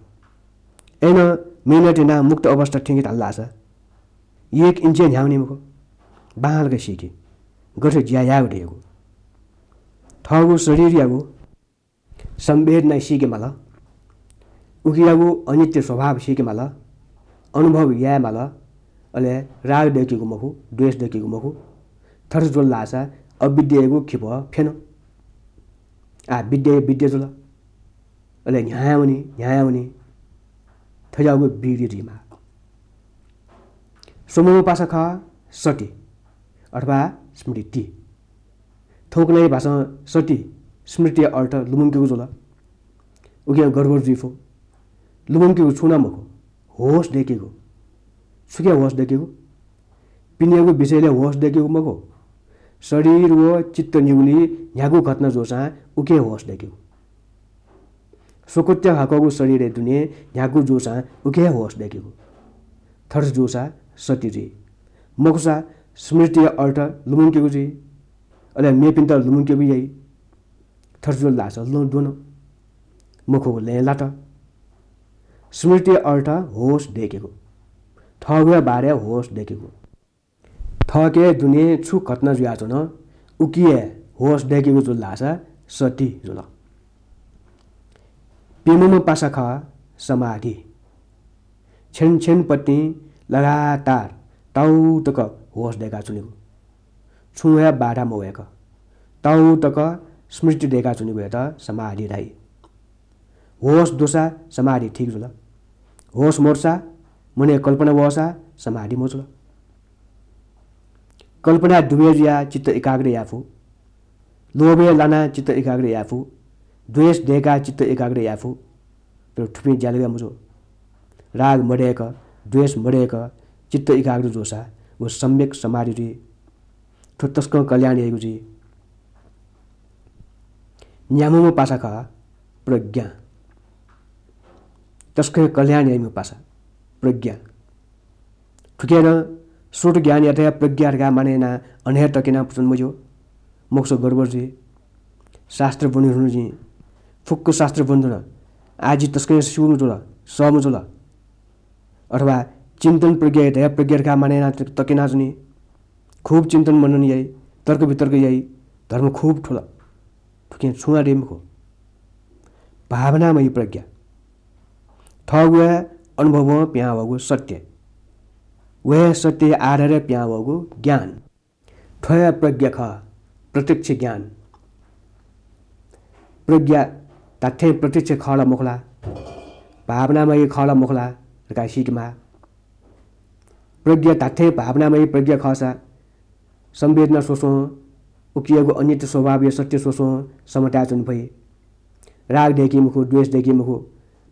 अय्‌नं मेहनत यानाः मुक्त अवस्था थ्यंके धाल धाःसा एक इन्च हे न्ह्याः वनी मखु। बांलाक सीकि, गथे ज्या यायेगु धयागु। थःगु शरीरयागु संवेदना सीके माल, उकियागु अनित्य स्वभाव सीके माल, अनुभव याये माल। अले राग दय्केगु मखु, द्वेष दय्केगु मखु। थथे जुल धाःसा अविद्यायागु खिपः फ्यन। आः विद्या विद्या जुल। अले न्ह्याः वनी, न्ह्याः वनी। थज्याःगु वीर्य जुइमाः। स्वम्हम्ह पासा खः सति अथवा स्मृति। थौंकन्हय् भाषां सति स्मृतिया अर्थ लुमंकेगु जुल। उकिं गडबड जुइ फु। लुमंकेगु छुं नं मखु, होश दय्केगु। छुकिया होश दय्केगु? पिनेगु विषयलय् होश दय्केगु मखु। शरीर व चित्त निगुलिइ न्ह्यागु घटना जूसां उकिया होश दय्केगु। स्वकुत्या हाकःगु शरीरय् दुने न्ह्यागु जूसां उकिया होश दय्केगु। थथे जूसा सति जुइ। मखुसा स्मृतिया अर्थ लुमंकेगु जुइ। अले मेपिन्त लुमंकेगु याइ। थथे जुल धाःसा लँ द्वन। मखुगु लँय् लात। स्मृतिया अर्थ होश दय्केगु। थःगुया बारे होश दय्केगु। थःके दुने छु घटना जुयाच्वन, उकिया होश दय्केगु जुल धाःसा सति जुल। प्यम्हम्ह पासा खः समाधि। छ्यन छ्यन पतिं लगातार ताउ तक होश दय्काच्वनेगु। छुं हे बाधा मवय्क ताउ तक स्मृति दय्काच्वनेगुयात समाधि धाइ। होश दुसा समाधि ठीक जुल। होश मदुसा, मनय् कल्पना वःसा समाधि मजुल। कल्पनाय् डुबे जुयाः चित्त एकाग्र याये फु। लोभय् लानाः चित्त एकाग्र याये फु। द्वेष दय्काः चित्त एकाग्र याये फु। तर थुपिं ज्यालगय् मजू। राग मदय्क, द्वेष मदय्क चित्त एकाग्र जूसा व सम्यक समाधि जुइ। थ्व तसकं कल्याण याइगु जुइ। न्याम्हम्ह पासा खः प्रज्ञा। तसकं कल्याण याइम्ह पासा प्रज्ञा। थुकिं नं स्रोत ज्ञानयात हे प्रज्ञा धकाः माने यानाः अन हे तकेना पुचन मज्यू। मखुसा गडबड जुइ। शास्त्र ब्वने धुन जिं, फुक्क शास्त्र ब्वने धुन। आः जि तसकं स्यूम्ह जुल, सःम्ह जुल। अथवा चिन्तन प्रज्ञायात हे प्रज्ञा धकाः माने यानाः तकेनाच्वनी। खुब चिन्तन मनन याइ, तर्क वितर्क याइ, धर्म खुब थुल। थुकिं छुं हे दइ मखु। भावनामयी प्रज्ञा। थःगु हे अनुभवं पिहां वःगु सत्य। व हे सत्यया आधारय् पिहां वःगु ज्ञान। थ्व हे प्रज्ञा खः, प्रत्यक्ष ज्ञान। प्रज्ञा धात्थें प्रत्यक्ष खः ला मखु ला, भावनामय खः ला मखु ला धकाः सीकेमाः। प्रज्ञा धात्थें भावनामय प्रज्ञा खःसा संवेदना स्वस्वं, उकियागु अनित्य स्वभावया सत्य स्वस्वं समताय् च्वने फइ। राग दय्की मखु, द्वेष दय्की मखु,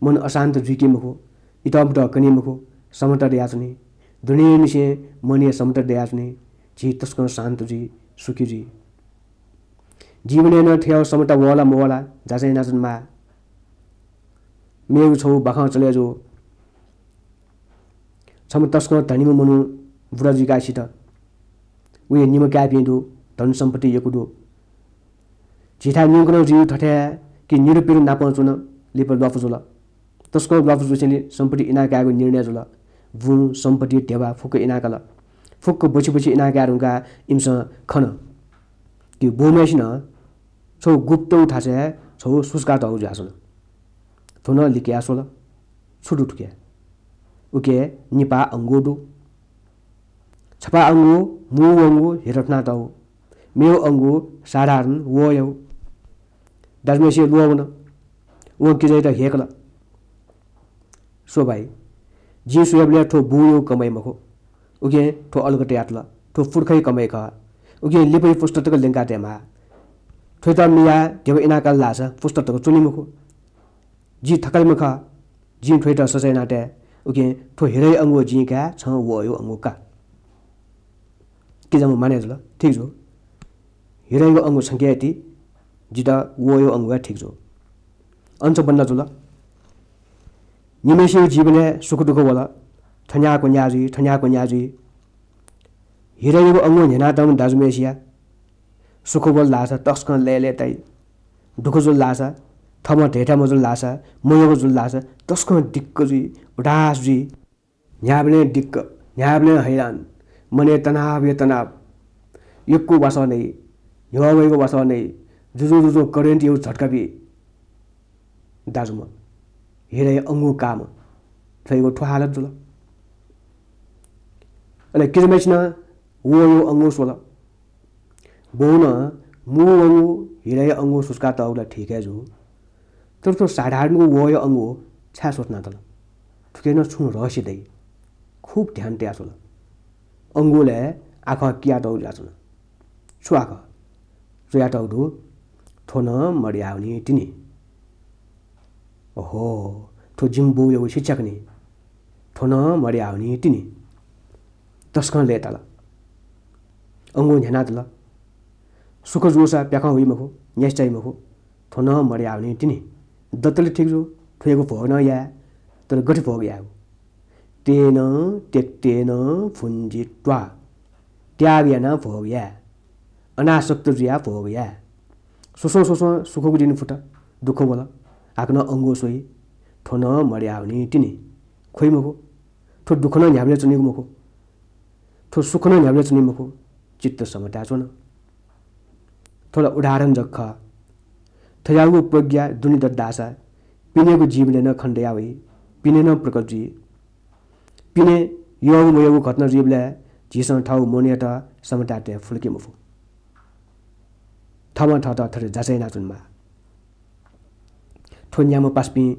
मन अशान्त जुइकी मखु, इतःमुतः कनी मखु, समता दयाच्वनी। दुनेंनिसें मनय् समता दयाच्वनी। झी तसकं शान्त जुइ, सुखी जुइ। जीवनय् नं थ्व समता वः ला मवः ला जाँचय् यानाच्वनेमाः। मेगु छगू बाखं चले जू। छम्ह तसकं धनीम्ह मनू बुरा जुइकाः सित। वया निम्ह काय्‌पिं दु, धन सम्पत्ति यक्व दु। झीथाय् न्यंकनं जुइ थथे कि निरुपिरु नापं च्वन, लिपा ल्वापु जुल। तसकं ल्वापु जूसेंलि सम्पत्ति इनाकायेगु निर्णय जुल। बुँ, सम्पत्ति, ध्यबा फुक्क इनाकाल। फुक्क बछि बछि इनाकाये धुंकाः इमिसं खन कि बौम्हय्‌सिनं छगू गुप्त थासय् छगू सुचुकातःगु जुयाच्वन। थ्व नं लिकया स्वल। छु दु थुके? उके निपाः अंगू दु। छपाः अंगू मू वंगु हिरा थुनातःगु, मेगु अंगू साधारण वःयागु। दाजुम्हय्‌सिया ल्वः वन। वं किजायात ह्यय्‌कल। स्व भाइ, जिं स्वयेबलय् थ्व बूयागु कमाइ मखु। उकिं थ्व अलग तयातल। थ्व पुर्खाया कमाइ खः। उकिं लिपाया पुस्ता तक ल्यंका तयेमाः। थ्वयात मियाः ध्यबा इनाकाल धाःसा पुस्ता तक च्वनी मखु। जि थकालिम्ह खः। जिं थ्वयात सजाँय याना तये। उकिं थ्व हिराया अंगू जिं काये, छं वःयागु अंगू का। किजाम्ह मानय् जुल, ठीक जू। हिरायागु अंगू छंके हे ति, जितः वःयागु अंगू हे ठीक जू। अन छु बन्द जुल। निम्हय्‌सिगु जीवनय् सुख दुःख वल, थन्याः क्वन्याः जुइ, थन्याः क्वन्याः जुइ। हिरायागु अंगू न्ह्यानातःम्ह दाजुम्हय्‌सिया सुख वल धाःसा तसकं लय्‌लय्‌ताइ। दुःख जुल धाःसा, थःम्हं धयाथें मजुल धाःसा, मयःगु जुल धाःसा तसकं दिक्क जुइ, उदास जुइ। न्ह्याबलें दिक्क, न्ह्याबलें हैरान, मनय् तनावया तनाव, यक्व वासः नइ, ह्यः वइगु वासः नइ, जुजुं जुजुं करेन्टयागु झट्का बी। दाजुम्ह, हिराया अंगू काःम्ह, थ्वयागु थ्व हालत जुल। अले किजाम्हय्‌सिनं वःयागु अंगू स्वल। बौनं मू वंगु हिराया अंगू सुचुकातःगु ला ठीक हे जू, तर थ्व साधारणगु वःया अंगू छाय् स्वथनातल? थुके नं छुं रहस्य दइ। खुब ध्यान तयाः स्वल। अंगूलय् आखः कियातःगु जुयाच्वन। छु आखः? च्वयातःगु दु, थ्व नं मदयावनी तिनि। ओहो, थ्व जिमि बौयागु शिक्षा खनि। थ्व नं मदयावनी तिनि। तसकं लय्‌ताल। अंगू न्ह्यानातल। सुख जूसा प्याखं हुइ मखु, न्यासि चाइ मखु। थ्व नं मदयावनी तिनि। दतले ठीक जू, थ्वयागु भोग नं याये, तर गथे भोग यायेगु? तेन त्यक्तेन भुञ्जित्वा, त्याग यानाः भोग याये, अनासक्त जुयाः भोग याये। स्वस्वं स्वस्वं सुखगु दिं फुत, दुःख वल, हाकनं अंगू स्वइ, थ्व नं मदयावनी तिनि। ख्वइ मखु, थ्व दुःख नं न्ह्याबलें च्वनीगु मखु, थ्व सुख नं न्ह्याबलें च्वनीगु मखु, चित्त समताय् च्वन। थ्व ला उदाहरण जक खः। थज्याःगु प्रज्ञा दुने दत धाःसा पिनेगु जीवनय् नं खनेदया वइ, पिने नं प्रकट जुइ। पिने यःगु मयःगु घटना जुइबलय् झीसं थःगु मनयात समताय् तये फुल कि मफु? थःम्हं थःत थथे जाँचय् यानाच्वनेमाः। थ्व न्याम्ह पासापिं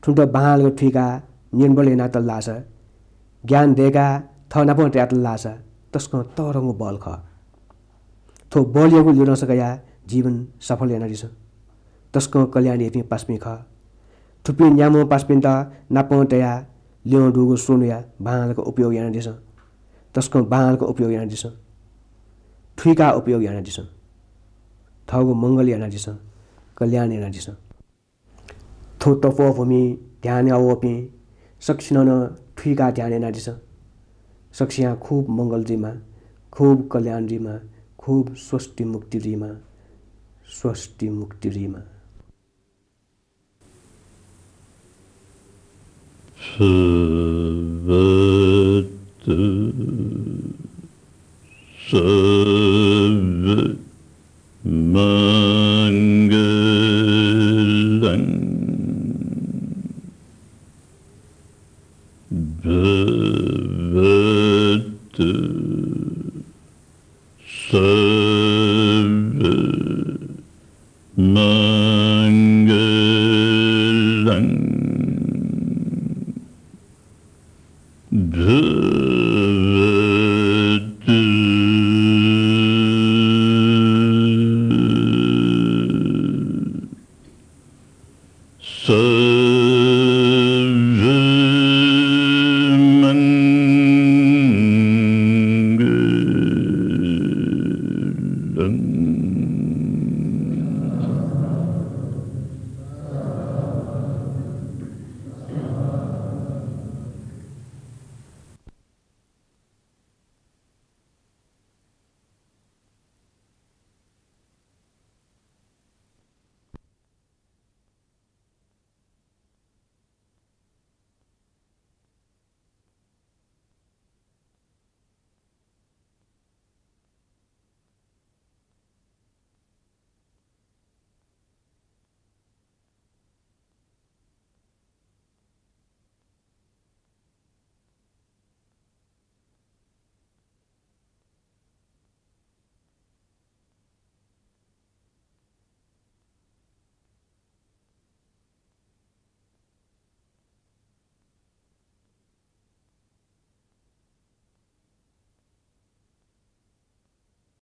थुमित बांलाक थुइकाः निर्बल यानातल धाःसा, ज्ञान दय्काः थः नापं तयातल धाःसा तसकं तःधंगु बल खः। थ्व बलयागु ल्यूदंसा कयाः जीवन सफल यानादिसँ। तसकं कल्याण याइपिं पासापिं खः। थुपिं न्याम्ह पासापिन्त नापं तयाः ल्यं दुगु स्वन्हुया बांलाक उपयोग यानादिसँ। तसकं बांलाक उपयोग यानादिसँ। थुइकाः उपयोग यानादिसँ। थःगु मंगल यानादिसँ। कल्याण यानादिसँ। थ्व तपोभूमि ध्यान याः वःपिं सकसिनं नं थुइकाः ध्यान यानादिसँ। सकसियां खूब मंगल जुइमा, खूब कल्याण जुइमा, खूब स्वस्ति मुक्ति जुइमा, स्वस्ति मुक्ति जुइमा। भवतु सब्ब मङ्गलं। भव स